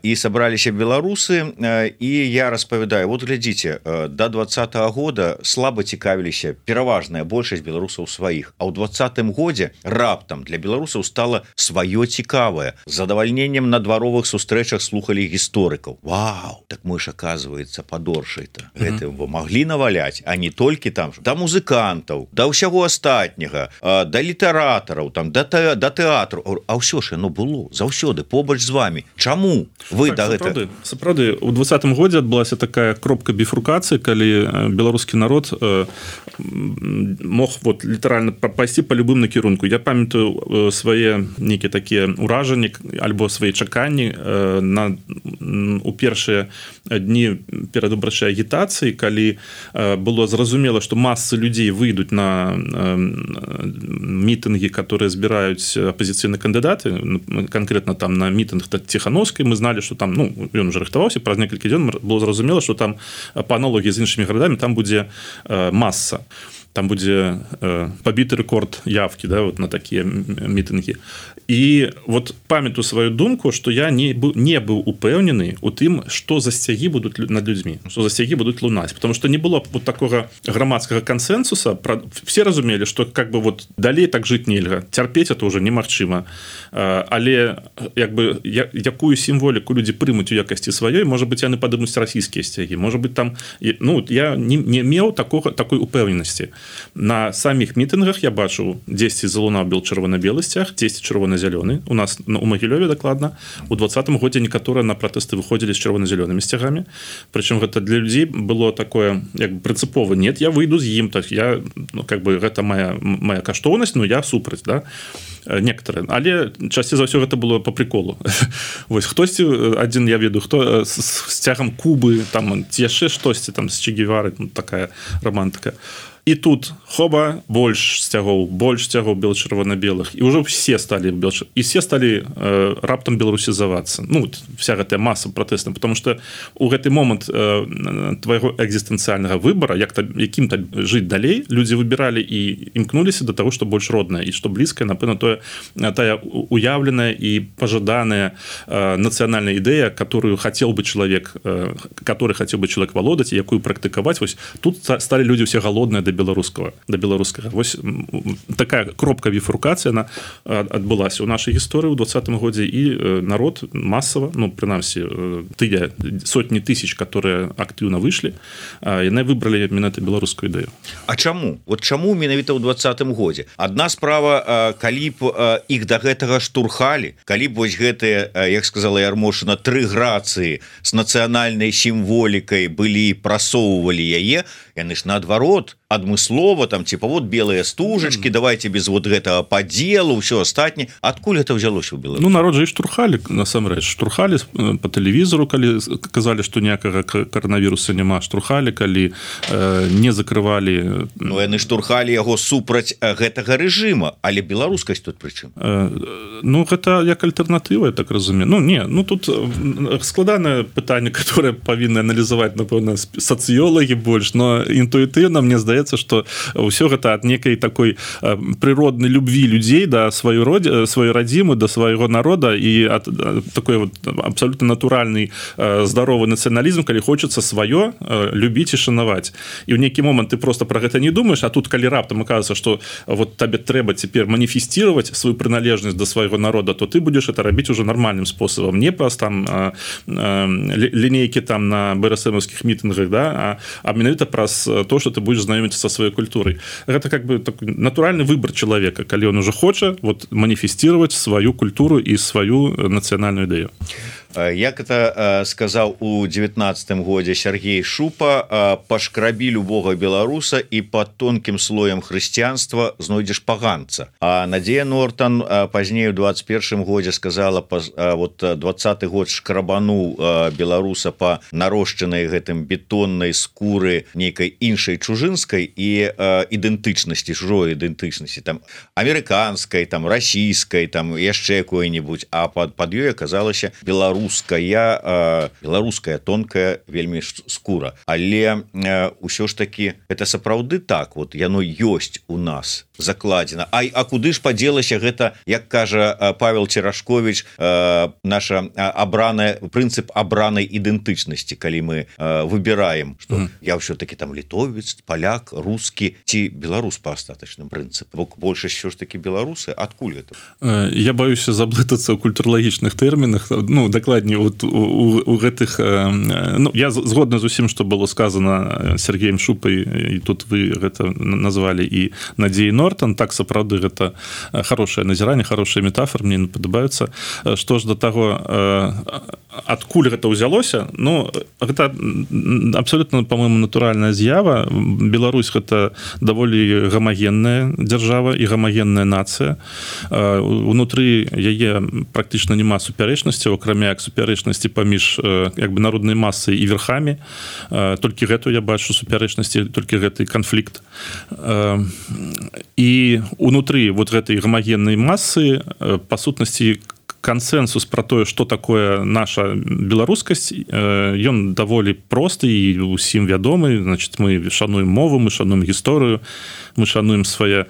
І сабраліся беларусы, і я распавядаю, вот глядзіце, до 20-го года слаба цікавіліся пераважная большасць беларусаў сваіх, а ў 20-м годзе раптам для беларусаў стала сваё цікавае. З задавальненнем на дваровых сустрэчах слухалі гісторыкаў. Вау, так мы ж, оказывается, падоршай-то. Гэта маглі наваляць, а не толькі там, да музыкантаў, да ўсяго астатняга, да літаратараў, там, да тэатру. А ўсё ж яно было заўсёды побач з вами. Чаму вы да гэта? Сапраўды, у 20-м годзе адбылася такая кропка біфуркацыі, калі беларускі народ мог вот літаральна пайсці па любым накірунку. Я памятаю свае нейкія такія ўражанні альбо свае чаканні у першыя дні перад выбарчай агітацыі, калі было зразумела, што масы людзей выйдуць на мітынгі, которые збіраюць апазіцыйныя кандыдаты, конкретно там на мітынг Ціхановскай, мы зналі, што там, ён уже рыхтаваўся, праз некалькі дзён было зразумела, што там па аналогіі з іншымі гарадамі там будзе маса. Там будзе пабіты рэкорд явкі, да, вот на такія мітынгі. І вот памятаю сваю думку, што я не быў упэўнены у тым, што за сцягі будуць над людзьмі, што за сцягі будуць лунаць, потому што не было вот такога грамадскага кансэнсуса. Все разумелі, што как бы вот далей так жыць нельга, цярпець это ўжо немагчыма. Але як бы якую сімволіку людзі прымуць у якасці сваёй, можа быць, яны падымуць расійскія сцягі, можа быць там, я не меў такой упэўненасці. На самих мітынгах я бачу 10 залунаў бел чырвона-белы сцяг, 10 чырвона-зялёны. У нас у Магілёве дакладна у 20-м годзе некаторыя на пратэсты выходзілі з чырвона-зялёнымі сцягамі. Прычым гэта для людзей было такое як бы прынцыпова. Нет, я выйду з ім, так я как бы гэта моя каштоўнасць, но я супраць, да. Некаторыя, але часцей за ўсё гэта было по приколу. Вось хтосьці адзін я веду, хто з сцягам Кубы, там ці яшчэ штосьці там з Че Гевары, такая романтика. і тут хоба больш сцягоў бел-чырвона-белых, і ўжо все сталі і все сталі раптам беларусізавацца. Ну, вся гэтая маса пратэсна, потому что у гэты момант твайго экзістэнцыяльнага выбара, якім-то жыць далей, людзі выбіралі і імкнуліся да таго, што больш роднае і што блізкае, напэўна, тая уяўленая і пажаданая нацыянальная ідэя, который хотел бы человек валодаць, якую практыкаваць. Вось тут сталі людзі ўсе галодныя да беларускага. Вось такая кропка біфуркацыя она адбылася ў нашай гісторыі ў 20-м годзе, і народ масава, ну, прынамсі, тыя сотні тысяч, которые актыўна выйшлі, яны выбралі менавіта беларускую ідэю. А чаму? Вот чаму менавіта ў 20-м годзе? Адна справа, калі б іх да гэтага штурхалі, калі б вось гэтыя, як сказала Ярмошына, 3 грацыі з нацыянальнай сімволікай былі, прасоўвалі яе, яны ж наадварот адмыслова там типа вот белыя стужачки, давайте без вот гэтага падзелу, ўсё астатняе. Адкуль это ўзялося ў Беларусі? Ну, народ же і штурхалі, насамрэч, штурхалі по тэлевізору, калі казалі, што ніякага каранавіруса няма, штурхалі, калі не закрывалі. Ну, яны штурхалі яго супраць гэтага рэжыма, але беларускасць тут прычым? Ну, гэта як альтэрнатыва, я так разумею. Ну, не, ну тут складанае пытанне, которое павінны аналізаваць, напэўна, сацыёлагі больш, но інтуітыўна мне здаецца, что ўсё гэта ад некай такой прыроднай любві людзей да сваёй радзімы, да свайго народа, і ад такой вот абсолютно натуральны здаровы нацыяналізм, калі хочацца сваё любіць і шанаваць. І ў нейкі момант ты просто про гэта не думаешь, а тут калі раптам аказваецца, что вот табе трэба цяпер маніфесціраваць сваю прыналежнасць да свайго народа, то ты будзеш это рабіць уже нармальным спосабам, не праз там лінейкі там на БРСМовскіх мітынгах, да, а менавіта праз то, что ты будешь знакомиться со своей культурой. Это как бы такой натуральный выбор человека, когда он уже хочет вот манифестировать свою культуру и свою национальную идею. Як это сказаў у 19-м годзе Сергей Шупа, пашкрабі любога беларуса і под тонкім слоем хрысціянства знойдзеш паганца. А Надзея Нортан пазней у 21-м годзе сказала, вот 20-й год шкрабануў беларуса па нарошчанай гэтым бетоннай скуры нейкай іншай чужынскай і ідэнтычнасці, чужой ідэнтычнасці, там амерыканскай, там расійскай, там яшчэ якой-небудзь, а пад ёй аказалася беларуская тонкая вельмі скура, але ўсё ж таки это сапраўды так, вот яно ёсць у нас закладзена. А куды ж падзелася гэта, як кажа Павел Церашкович, наша абраная прынцып абранай ідэнтычнасці, калі мы выбіраем, что я ўсё-таки там літовец, паляк, рускі ці беларус па астатачным прынцыпу, бо большасць ўсё ж таки беларусы. Адкуль это? Я баюся заблытацца ў культуралагічных тэрмінах, ну, дакладней вот у гэтых, ну, я згодна з усім, што было сказано Сергеем Шупай, і тут вы гэта назвалі, і Надзеяй Нортан. Так, сапраўды, гэта хорошае назіранне, хорошая метафора, мне падабаюцца. Што ж да таго, адкуль гэта ўзялося? Ну, гэта абсолютно, по-моему, натуральная з'ява. Беларусь — гэта даволі гамагенная дзяржава і гамагенная нацыя. Унутры яе практычна няма супярэчнасцяў, акрамя як супярэчнасці паміж як бы народнай масай і верхамі. Толькі гэту я бачу супярэчнасці, толькі гэты канфлікт. І унутры вот гэтай гамагеннай масы па сутнасці консенсус про тое, што такое наша беларускасць, ён даволі просты і усім вядомы. Значит, мы шануем мову, мы шануем гісторыю, мы шануем свае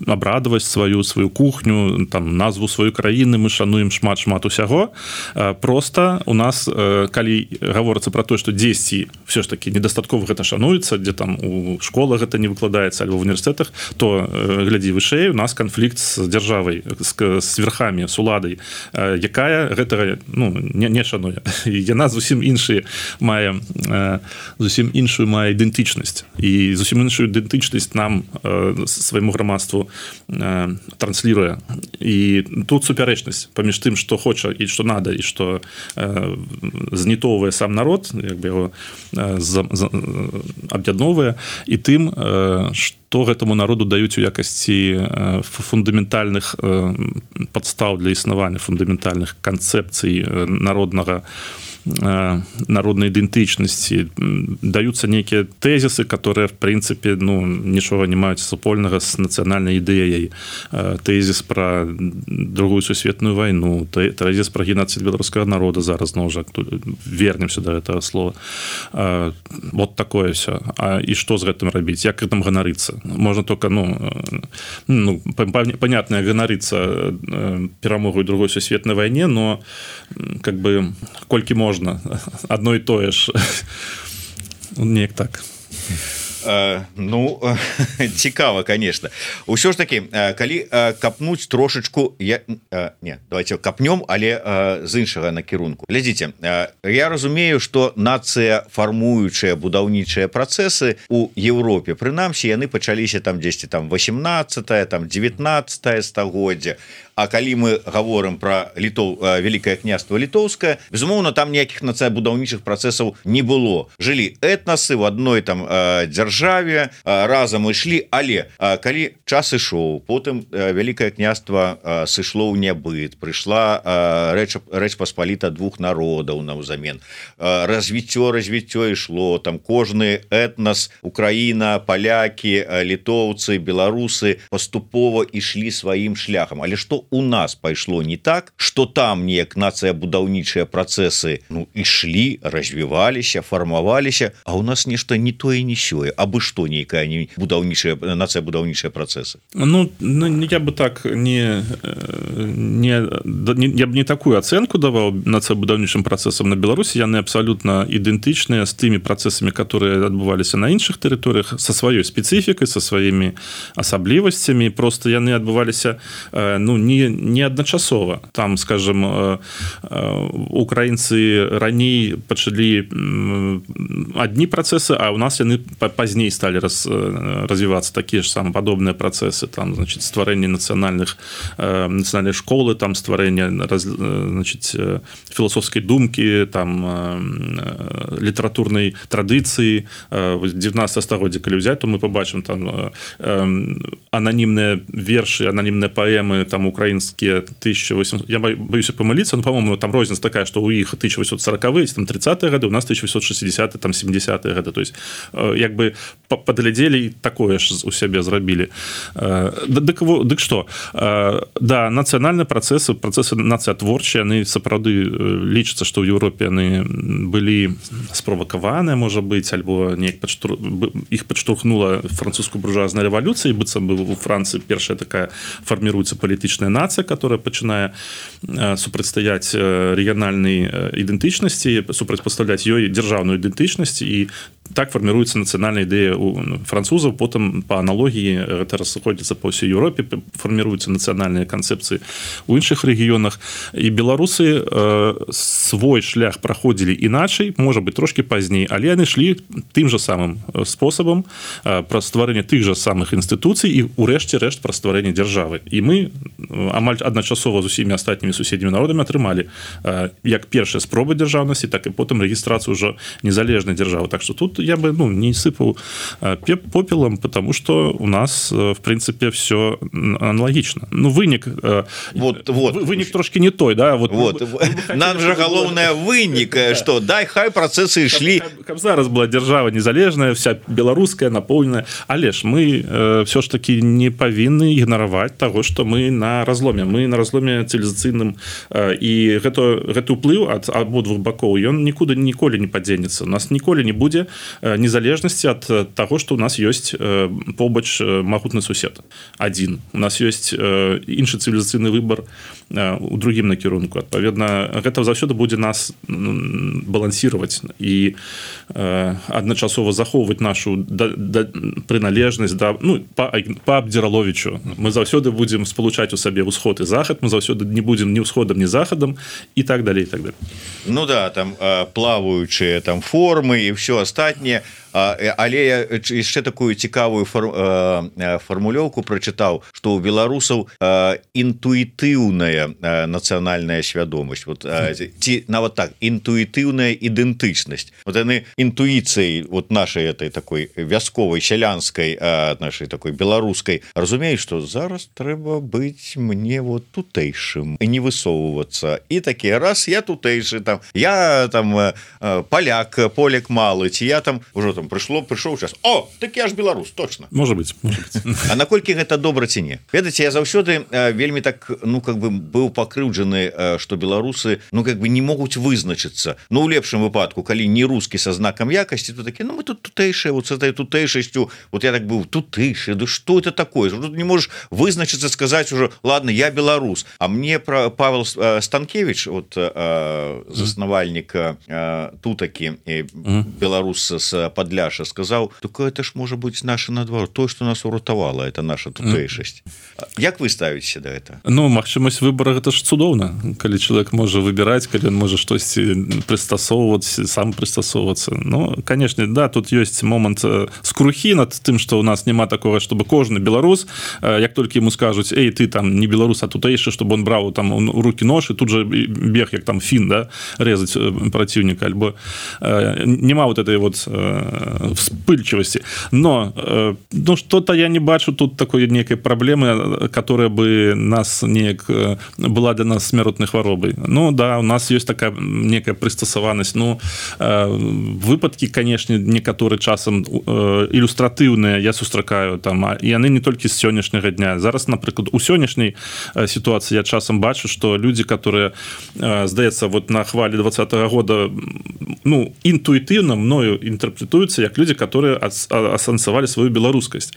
абрадаваць сваю кухню, там назву сваёй краіны, мы шануем шмат усяго. Просто у нас, калі гаворыцца про тое, што дзесьці все ж таки недастаткова гэта шануецца, дзе там у школах гэта не выкладаецца альбо в універсітэтах, то глядзі вышэй, у нас канфлікт з дзяржавай, з верхамі, з уладай, якая гэтага, ну, не шануе. Яна зусім іншую мае ідэнтычнасць, і зусім іншую ідэнтычнасць нам, свайму грамадству, трансліруе. І тут супярэчнасць паміж тым, што хоча і што надо, і што знітоўвае сам народ, як бы яго аб'ядноўвае, і тым, што гэтаму народу даюць у якасці фундаментальных падстаў для існавання, фундаментальных канцэпцый народнага народной идентичности, даются некие тезисы, которые, в принципе, ну, ничего не имеют супольного с национальной идеей. Тезис про Другую сусветную войну, тезис про геноцид белорусского народа, зараз, ну, уже вернемся до этого слова. Вот такое все. И что с этим робить? Як этим гонориться? Можно только, понятно, гонориться перемогой Другой сусветной войне, но как бы кольки можно, одно и то ж. Неяк так. Ну, цікава, конечно. Усё ж таки, калі капнуць трошечку, давайте капнем, але з іншага накірунку. Глядзіце, я разумею, што нацыя фармуючыя будаўнічыя працэсы у Европе, прынамсі, яны пачаліся там дзесьці там 18-е, там 19-е стагоддзе. А калі мы гаворым про Великое княство Літоўскае, безумоўна, там ніякіх нацыябудаўнічых працэсаў не было. Жылі этнасы в одной там дзяржаве, разам ішлі, але калі час ішоў, потым Великое княство сышло ў нябыт, прыйшла Рэч Паспаліта двух народаў наўзамен. Развіццё ішло, там кожны этнас, Украіна, палякі, літоўцы, беларусы паступова ішлі сваім шляхам. Але што у нас пайшло не так, что там неяк нацыябудаўнічыя працэсы ішлі, развіваліся, фармаваліся, а у нас нешта не тое, не сёе, абы што нейкая нацыябудаўнічыя працэсы. Я бы так я б не такую ацэнку даваў нацыябудаўнічым працэсам на Беларусі, яны абсалютна ідэнтычныя з тымі працэсамі, которые адбываліся на іншых тэрыторыях, са сваёй спецыфікай, са сваімі асаблівасцямі, просто яны адбываліся не адначасова. Там, скажем, украінцы раней пачалі адні працэсы, а у нас яны пазней сталі развівацца такія ж самападобныя працэсы, там, значит, стварэнне нацыянальнай школы, там стварэнне, значит, філасофскай думкі, там літаратурнай традыцыі 19 стагоддзя, калі ўзяць, то мы побачым там ананімныя вершы, ананімныя паэмы, там украинские 1800, я боюсь помылиться, но, по-моему, там розница такая, что у них 1840-е, там 30-е годы, у нас 1860-е, там 70-е годы, то есть, как бы подлядели такое ж у себя зрабілі. Дык что? Да, нацыянальныя працэсы нацыятворчыя, яны сапраўды лічацца, што ў Еўропе яны былі справакаваныя, можа быць, альбо неяк іх падштурхнула французскую буржуазная рэвалюцыя, і быццам бы у Францыі першая такая фарміруецца палітычная нацыя, которая пачынае супрацьстаяць рэгіянальнай ідэнтычнасці, супрацьпастаўляць ёй дзяржаўную ідэнтычнасць, і так фарміруецца нацыянальная ідэя у французаў, потым па аналогіі гэта расходзіцца па ўсёй Еўропе, фарміруюцца нацыянальныя канцэпцыі ў іншых рэгіёнах, і беларусы свой шлях праходзілі іначай, можа быць трошкі пазней, але яны ішлі тым жа самым спосабам пра стварэнне тых жа самых інстытуцый і ўрэшце рэшт пра стварэнне дзяржавы. І мы амаль адначасова з усімі астатнімі суседнімі народамі атрымалі як першая спроба дзяржаўнасці, так і потым рэгістрацыю ўжо незалежнай дзяржавы. Так што тут я бы не сыпал попелом, потому что у нас, в принципе, все аналогично. Вынік вынік трошки не той, да? Нам же галоўнае вынік, что дай хай працэсы ішлі. Каб зараз была дзяржава незалежная, вся беларуская, наполненая, але ж мы все ж таки не павінны ігнараваць того, что мы на разломе цывілізацыйным, і гэты ўплыў ад абодвух бакоў, ён ніколі не падзенецца. У нас ніколі не будзе незалежнасці ад таго, што у нас ёсць побач магутны сусед адзін. У нас ёсць іншы цывілізацыйны выбар у другім накірунку. Адпаведна, гэта заўсёды будзе нас балансіраваць і адначасова захоўваць нашу прыналежнасць па Абдзіраловічу. Мы заўсёды будзем спалучаць у сабе ўсход і захад, мы заўсёды не будзем ні ўсходам, ні захадам, і так далей, і так далей. Ну да, там плаваючыя там формы і ўсё астатняе. але я яшчэ такую цікавую фармулёўку прачытаў, што ў беларусаў інтуітыўная нацыянальная свядомасць, вот ці нават так інтуітыўная ідэнтычнасць, вот яны інтуіцыяй вот нашай этой такой вясковай сялянскай нашай такой беларускай разумеюць, што зараз трэба быць мне вот тутэйшым і не высоўвацца, і такі раз я тутэйшы, там я там поляк малы, ці я там ужо там прыйшоў час, о, так я ж беларус, точно, может быть. А наколькі гэта добра ці не? Ведаеце, я заўсёды вельмі так, ну как бы быў пакрыўджаны, што беларусы, ну как бы не могуць вызначыцца, ну у лепшым выпадку, калі не рускі са знакам якасці, то такі, ну мы тут тутэйшыя, вот с этой тутэйшасцю, вот я так быў тутэйшы, да что это такое? Тут не можешь вызначыцца, сказаць уже, ладно, я беларус, а мне про Павел Станкевич, вот заснавальнік тутакі беларус з Падляша, сказаў, так это ж можа быць наша надвор, то, што нас уратавала, это наша тутэйшасць. Як вы ставіце да гэта? Ну, магчымасць выбора, гэта ж цудоўна, калі чалавек можа выбіраць, калі ён можа штосьці прыстасоўваць, сам прыстасоўвацца. Ну, конечно, да, тут ёсць момант скрухі над тым, што ў нас няма такого, чтобы кожны беларус, як толькі ему скажуць, эй, ты там не беларус, а тутэйшы, чтобы он браў там у руки нож і тут же бег, як там фін, да, резаць праціўніка, альбо няма вот этой вот вспыльчивости. Но ну, что-то я не бачу тут такой некой проблемы, которая бы нас неяк была для нас смяротной хваробой. Ну да, у нас есть такая некая пристасаванасць. Ну, выпадки, конечно, некаторы часам ілюстратыўныя я сустракаю там, і яны не толькі з сённяшняга дня. Зараз, напрыклад, у сённяшняй ситуации я часам бачу, что люди, которые, здаецца, вот на хвале 2020 года, ну, интуитивно мною интерпретуются как люди, которые асэнсавалі свою беларускасць.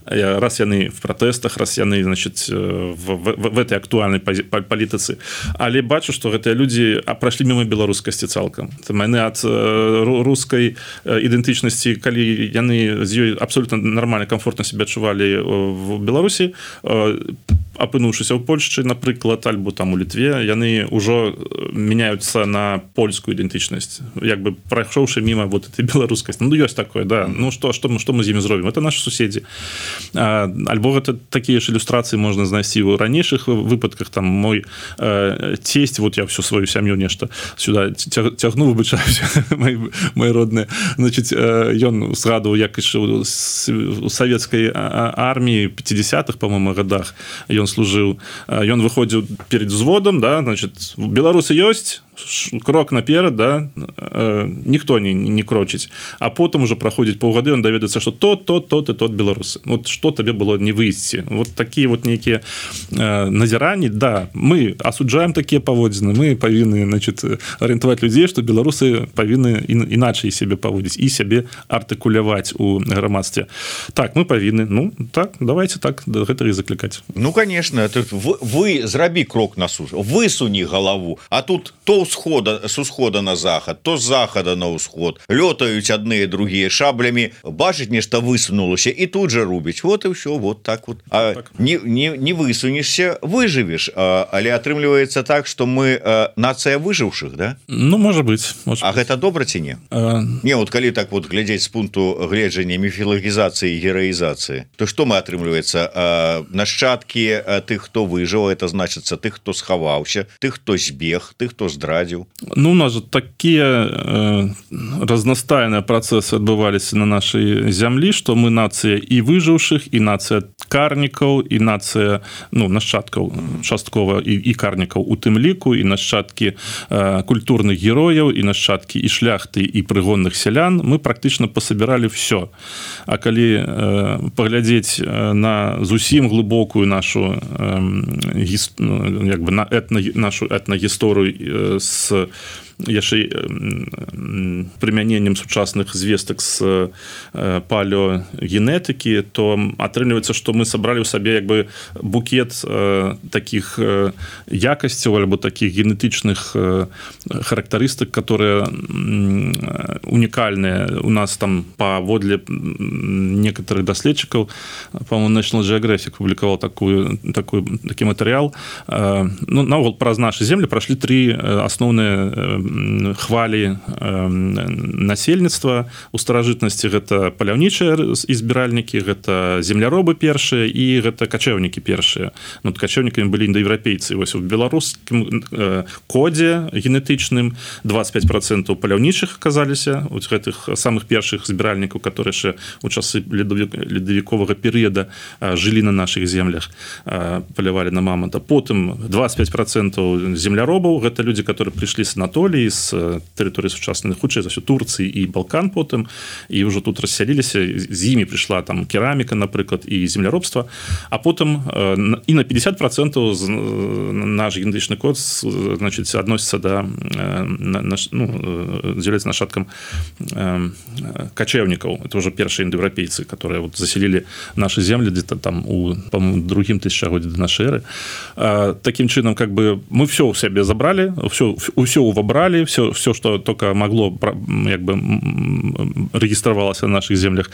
Раз яны в протестах, раз яны, значит, в этой актуальной палітыцы. Але бачу, что гэтыя люди прошли мимо беларускасці цалкам. Яны ад рускай ідэнтычнасці, калі яны з ёй абсолютно нормально, комфортно себя адчувалі в Беларусі, апынуўшыся ў Польшчы, напрыклад, альбо там у Літве, яны ўжо мяняюцца на польскую ідэнтычнасць, як бы прайшоўшы мимо вот этой беларускасці. Ну, ёсць такое, да. Ну, што мы з імі зробім? Это наши суседзі. Альбо гэта такія ж ілюстрацыі можна знайсці ў ранейшых выпадках. Там мой тесть, вот я всю сваю сям'ю нешта сюда цягну, выбачаюся, мои родныя. Значит, ён згадваў, як яшчэ у савецкай арміі 50-х, по-моему, годах ён служыў, ён выходзіў перед взводом, да, значит, беларусы ёсць, крок наперад, да, ніхто не крочыць, а потым уже праходзіць паўгады, он даведаецца, што тот і тот беларусы. Вот што табе было не выйсці. Вот такія вот нейкія назіранні, да, мы асуджаем такія паводзіны, мы павінны, значит, арыентаваць людзей, што беларусы павінны іначай сябе паводзіць і сябе артыкуляваць у грамадстве. Так, мы павінны, ну, так, давайте так да гэтага і заклікаць. Ну, конечно, вы зрабі крок на суш, высуні галаву, а тут то с усхода на захад, то с захада на усход, лётаюць адныя другія шаблямі, бачыць нешта высунулася і тут же рубіць. Вот і ўсё, вот так вот. А так. Не высунешься, выжывеш, але атрымліваецца так, что мы нацыя выжыўшых, да? Ну, может быть. А гэта добра ці не? Не, вот калі так вот глядзець з пункту гледжання міфалагізацыі і гераізацыі, то што мы атрымліваецца? Нашчадкі тых, хто выжыў, это значыцца тых, хто схаваўся, тых, хто збег, тых, хто здрадзіў. Ну, у нас же такие разнастайныя працэсы адбываліся на нашай зямлі, што мы нацыя і выжыўшых, і нацыя карнікаў, і нацыя, ну, нашчадкаў часткова і карнікаў у тым ліку, і нашчадкі культурных герояў, і нашчадкі і шляхты, і прыгонных сялян. Мы практычна пасабіралі все. А калі паглядзець на зусім глыбокую нашу як бы нашу этнагісторыю с яшчэ прымяненнем сучасных звестак з палеогенетыкі, то атрымліваецца, што мы сабралі ў сабе як бы букет такіх якасцяў альбо такіх генетычных характарыстык, которые унікальныя. У нас там паводле некаторых даследчыкаў, по-моему, National Geographic публікаваў такі матэрыял. Ну, наогул праз нашы землі прайшлі 3 асноўныя хвалі насельніцтва у старажытнасці. Гэта паляўнічыя збіральнікі, гэта земляробы першыя і гэта качэўнікі першыя. Ну, качэўнікамі былі індаеўрапейцы. Вось у беларускім кодзе генетычным 25% паляўнічых аказаліся у гэтых самых першых збіральнікаў, которые яшчэ у часы ледавіковага перыяда жылі на наших землях, палявалі на мамонта. Потым 25% земляробаў, гэта людзі, которые прыйшлі з Анатоліі, з тэрыторыі сучаснай, хутчэй за ўсё Турцыі і Балкан потым, і ўжо тут рассяліліся, з імі прыйшла там кераміка, напрыклад, і земляробства, а потым і на 50% наш генетычны код, значит, адносіцца да, ну, з'яўляецца нашаткам качэўнікаў. Это уже першыя індаеўрапейцы, которые вот заселили наши земли где-то там у, по-моему, другим тысячагоддзі до нашей эры. Таким чином, как бы мы все у себе забрали, все увобрали, все, что только могло, как бы, регистрировалось на наших землях.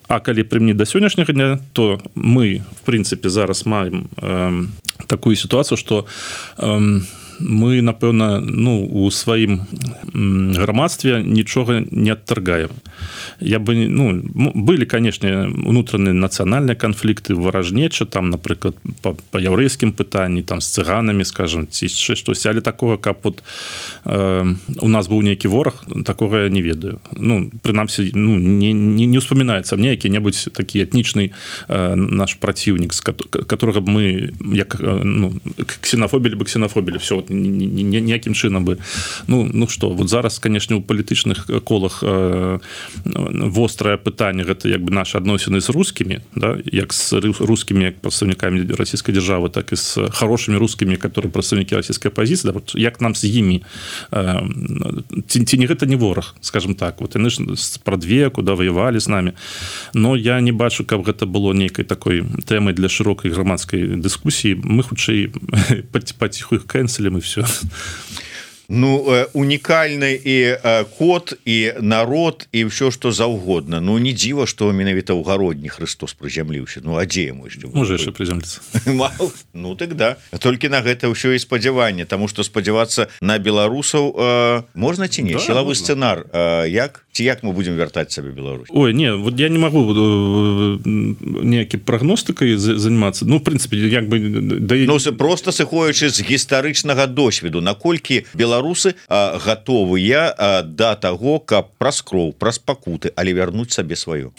А калі прымніць до сённяшняга дня, то мы, в принципе, зараз маем такую ситуацию, что мы, напэўна, ну, у сваім грамадстве нічога не адтаргаем. Я бы, ну, былі, канешне, унутраныя нацыянальныя канфлікты, варажнеча, там, напрыклад, па яўрэйскім пытанні, там, з цыганамі, скажем, ці яшчэ штось, але такога, каб вот у нас быў нейкі вораг, такога я не ведаю. Ну, прынамсі, ну, не успамінаецца мне які-небудзь такі этнічны наш праціўнік, з которого мы, як, ну, ксенафобілі бы ксенафобілі, все, ніякім чынам бы. Ну што, вот зараз, канешне, у палітычных колах вострае пытанне, гэта як бы нашы адносіны з рускімі, да, як з рускімі, як прадстаўнікамі расійскай дзяржавы, так і з хорошымі рускімі, которые прадстаўнікі расійскай апазіцыі, да, вот, як нам з імі, ці не гэта не вораг, скажем так, вот яны ж спрадвеку, да, ваявалі з намі, но я не бачу, каб гэта было нейкай такой тэмай для шырокай грамадскай дыскусіі. Мы хутчэй паціху іх кэнселем і все. Ну, унікальны і код, і народ, і ўсё, што заўгодна. Ну, не дзіва, што менавіта ў гародні Христос прызямліўся. Ну, а дзе яму яшчэ? Можа яшчэ прызямліцца. Ну, так да. Толькі на гэта ўсё і спадзяванне, таму што спадзявацца на беларусаў можна ці не? Да, сілавы сцэнар. Як? Ці як мы будзем вяртаць сабе Беларусь? Ой, не, вот я не магу неякі прагностыкай занимацца. Ну, в прынцыпе, як бы... Ну, просто сыходзячы з гістарычнага досведу, наколькі беларусы гатовыя да таго, каб праз кроў, праз пакуты, але вярнуць сабе сваё.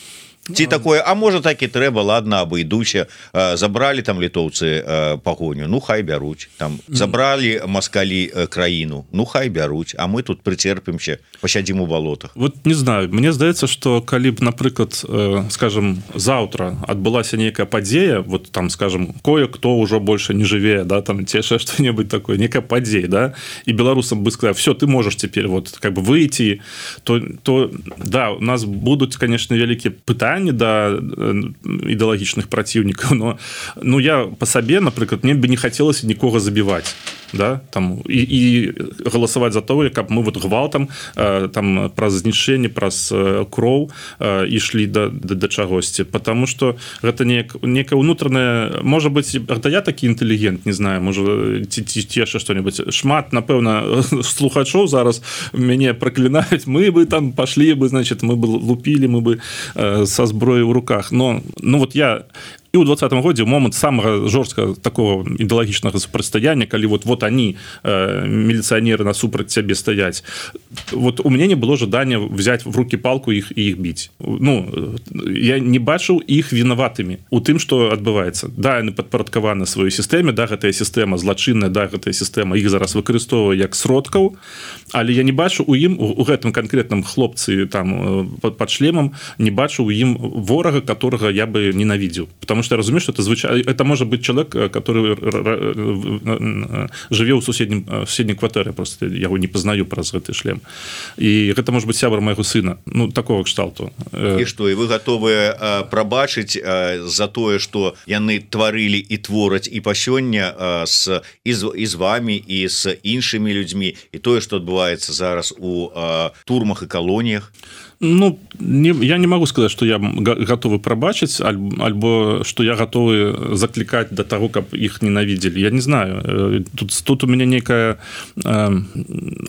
Ці такое, а можа так і трэба, ладно, абыдуся, забралі там літоўцы пагоню, ну хай бяруць, там забралі маскалі краіну, ну хай бяруць, а мы тут прыцерпімся, пасядзім у балотах. Вот не знаю, мне здаецца, што калі б, напрыклад, скажем, заўтра адбылася нейкая падзея, вот там, скажем, кое-кто ўжо больше не жыве, да, там ці яшчэ што-небудзь такое, некая падзея, да, і беларусам бы сказаў, все, ты можаш цяпер вот как бы выйти, то да, у нас будуць, конечно, вялікія пытанні да ідэалагічных праціўнікаў, но ну я по сабе, напрыклад, мне бы не хацелася нікога забіваць, да, там і галасаваць за тое, каб мы вот гвалтам там праз знішчэнне, праз кроў ішлі да чагосьці, потому что гэта некая унутраная, можа быць, гэта я такі інтэлігент, не знаю, можа ці яшчэ што-небудзь. Шмат, напэўна, слухачоў зараз мяне праклінаюць, мы бы там пашлі бы, значит, мы бы лупілі, мы бы со зброей в руках, но ну вот я і ў 20-м годзе момант самага жорсткага такого ідэалагічнага супрацьстаяння, калі вот они міліцыянеры насупраць цябе стаяць, вот у мяне не было жадання взять в руки палку і іх біць. Ну, я не бачыў іх вінаватымі у тым, што адбываецца. Да, яны падпарадкаваны сваёй сістэме, да, гэтая сістэма злачынная, да, гэтая сістэма іх зараз выкарыстоўвае як сродкаў, але я не бачу у ім, у гэтым канкрэтным хлопцы там пад шлемам, не бачу у ім ворага, которого я бы ненавидел. Потому что я разумею, что это может быть человек, который живе ў суседняй кватэры, просто я его не познаю праз гэты шлем. і гэта может быть сябра майго сына, ну такого кшталту. І што, і вы гатовыя прабачыць за тое, што яны тварылі і твораць і па сёння і з вамі і з іншымі людзьмі, і тое, што адбываецца зараз у турмах і калоніях? Ну, я не могу сказать, что я готовы пробачить, альбо что я готовы закликать до того, как их ненавидели. Я не знаю. Тут у меня некое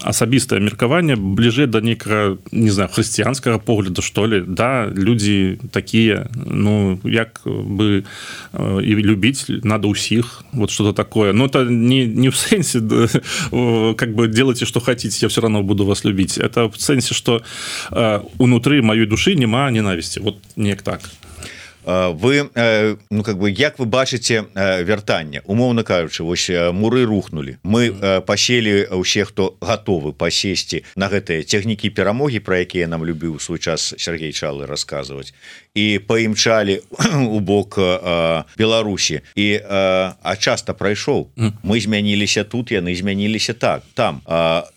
особистое меркование, ближе до некого, не знаю, христианского погляда, что ли. Да, люди такие, ну, як бы и любить надо усіх, вот что-то такое. Но это не в сенсе, как бы делайте, что хотите, я все равно буду вас любить. Это в сенсе, что унутры маёй душы няма ненавісці, вот неяк так. Вы, ну, как бы, як вы бачыце вяртанне, умоўна кажучы, вось муры рухнули, мы паселі ўсе, хто гатовы пасесці на гэтыя цягнікі перамогі, пра якія нам любіў у свой час Сергей Чалы расказваць, і паімчалі у бок Беларусі, і часта прайшоў, мы змяніліся тут, яны змяніліся так, там.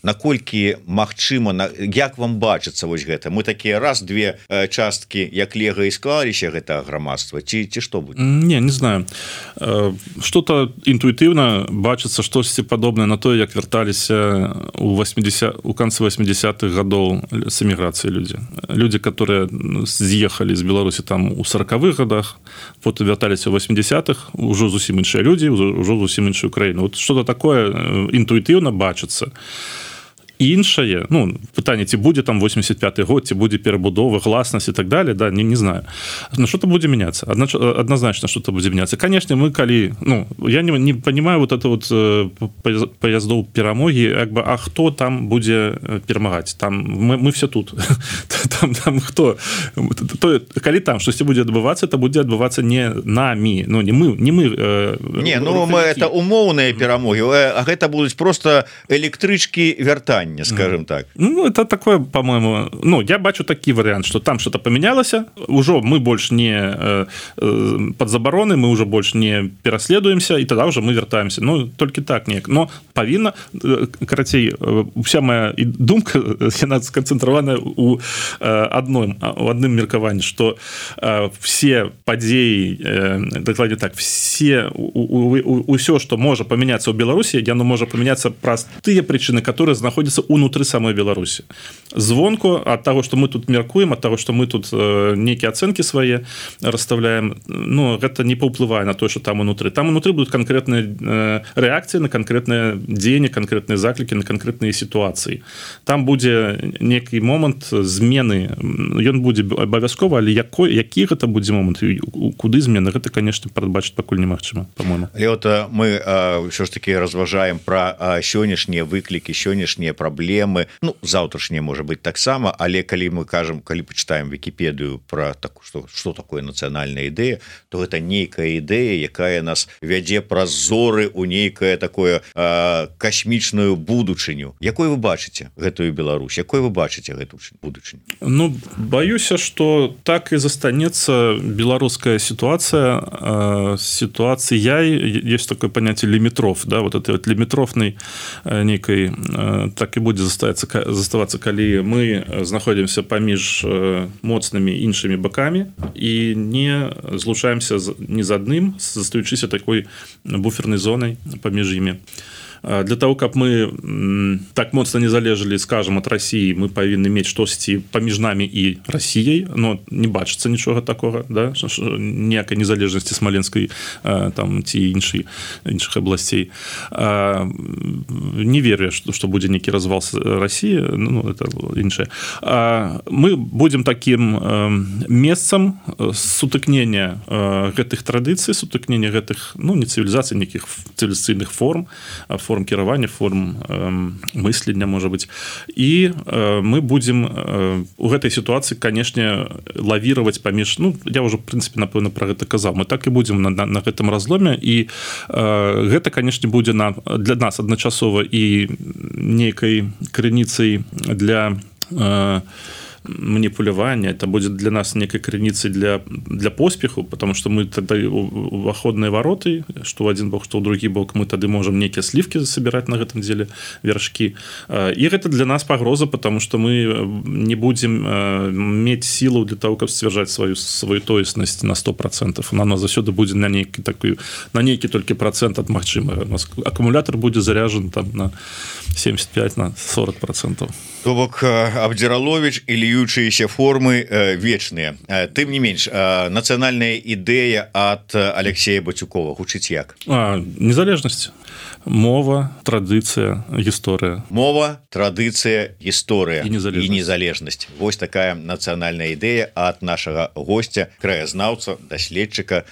Наколькі магчыма, як вам бачыцца вось гэта? Мы такія раз-две часткі, як лего і склаліся гэта грамадства, ці што будзе? Не знаю. Что-то интуитивно бачыцца штосьці падобнае на тое, як вярталіся у канцы 80-х гадоў с эміграцыі людзі, которые з'ехалі з Беларусі там у 40-х годах, потым вярталіся у 80-х, ужо зусім іншыя людзі, ужо зусім іншую краіну. Вот что-то такое интуитивно бачыцца. Іншае, ну, пытанне, ці будзе там 85-й год, ці будзе перабудова, гласнасць і так далее, да, не знаю. Но что-то будзе мяняцца, однозначно что-то будзе мяняцца. Конечно, мы калі, ну, я не понимаю вот это вот поездов перамогі, як бы, а хто там будзе перамагаць? Там мы все тут. Там хто? Калі там штосьці будзе адбывацца, это будзе адбывацца не намі, ну, не мы. Не, ну, это умоўныя перамогі, а гэта будуць просто электрычкі вяртання, скажем так. Ну, это такое, по-моему, ну, я бачу такі вариант, что там что-то поменялося, уже мы больше не под забароны, мы уже больше не пераследуемся, и тогда уже мы вяртаемся. Ну, только так неяк. Но павінна, карацей, вся моя думка, яна сконцентрована у адным меркаванні, что все падзеі, дакладней так, усё, что можа памяняцца ў Беларусі, яно можа памяняцца праз тыя прычыны, которые знаходзяцца унутры самой Беларусі. Звонку ад таго, што мы тут мяркуем, ад таго, што мы тут нейкія ацэнкі свае расставляем, ну, гэта не паўплывае на тое, што там унутры. Там унутры будуць канкрэтныя рэакцыі на канкрэтныя дзеянні, канкрэтныя заклікі, на канкрэтныя сітуацыі. Там будзе нейкі момант змены, ён будзе абавязкова, але які гэта будзе момант, куды змены, гэта, конечно, прадбачыць пакуль немагчыма, по-моему. Але вот мы ўсё ж таки разважаем пра сённяшнія выклікі, сённяшнія праблемы, ну, заўтрашнія, можа быть, таксама, але калі мы кажам, калі пачытаем Вікіпедыю пра што такое нацыянальная ідэя, то гэта нейкая ідэя, якая нас вядзе праз зоры у нейкае такое касмічную будучыню. Якой вы бачыце гэтую Беларусь? Якой вы бачыце гэту будучыню? Ну, баюся, што так і застанецца беларуская сітуацыя. Есть такое понятие лімітров, да, вот этой вот лімітрофнай нейкай, так і будзе заставацца, калі мы знаходзімся паміж моцнымі іншымі бакамі і не злучаемся ні з адным, застаючыся такой буфернай зонай паміж імі. Для того, каб мы так моцна не залежалі, скажем, ад России, мы павінны мець штосьці паміж намі і Россией, но не бачыцца нічога такога, да, ніякай незалежнасці Смоленской там ці іншых абласцей. Не верю, что будзе нейкі развал России, ну, это іншае. Мы будем таким месцам сутыкнення гэтых традыцый, сутыкнення гэтых, ну, не цывілізацый, нейкіх цывілізацыйных форм кіравання, форм мыслення, можа быць. І мы будзем у гэтай сітуацыі, канешне, лавіраваць паміж, ну, я ўжо, в прынцыпе, напэўна, пра гэта казаў. Мы так і будзем на гэтым разломе, і гэта, канешне, будзе для нас адначасова і нейкай крыніцай для маніпулявання, это будет для нас некай крыніцай для поспеху, потому что мы тогда уваходныя вароты, что в один бок, что ў другі бок, мы тады можем некія сливки собирать на гэтым деле вершки, и это для нас пагроза, потому что мы не будем мець силу для того, каб сцвярджаць свою тоеснасць на 100%, она заўсёды будзе на нейкі толькі процент ад магчымага. Аккумулятор будзе заряжен там на 75 на 40%. То бок Абдзіраловіч і льючыеся формы вечныя. Тым не менш, нацыянальная ідэя ад Алексея Бацюкова гучыць як? Незалежнасць. Мова, традыцыя, гісторыя. Мова, традыцыя, гісторыя і незалежнасць. Вось такая нацыянальная ідэя ад нашага госця, краязнаўца, даследчыка,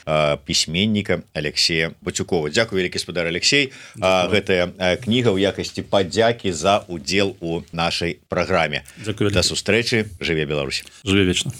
пісьменніка Алексея Бацюкова. Дзякуй, вялікі спадар Алексей. Гэтая кніга ў якасці падзякі за удзел у нашай праграме. Дзякуй. Да сустрэчы. Жыве Беларусь. Жыве вечна.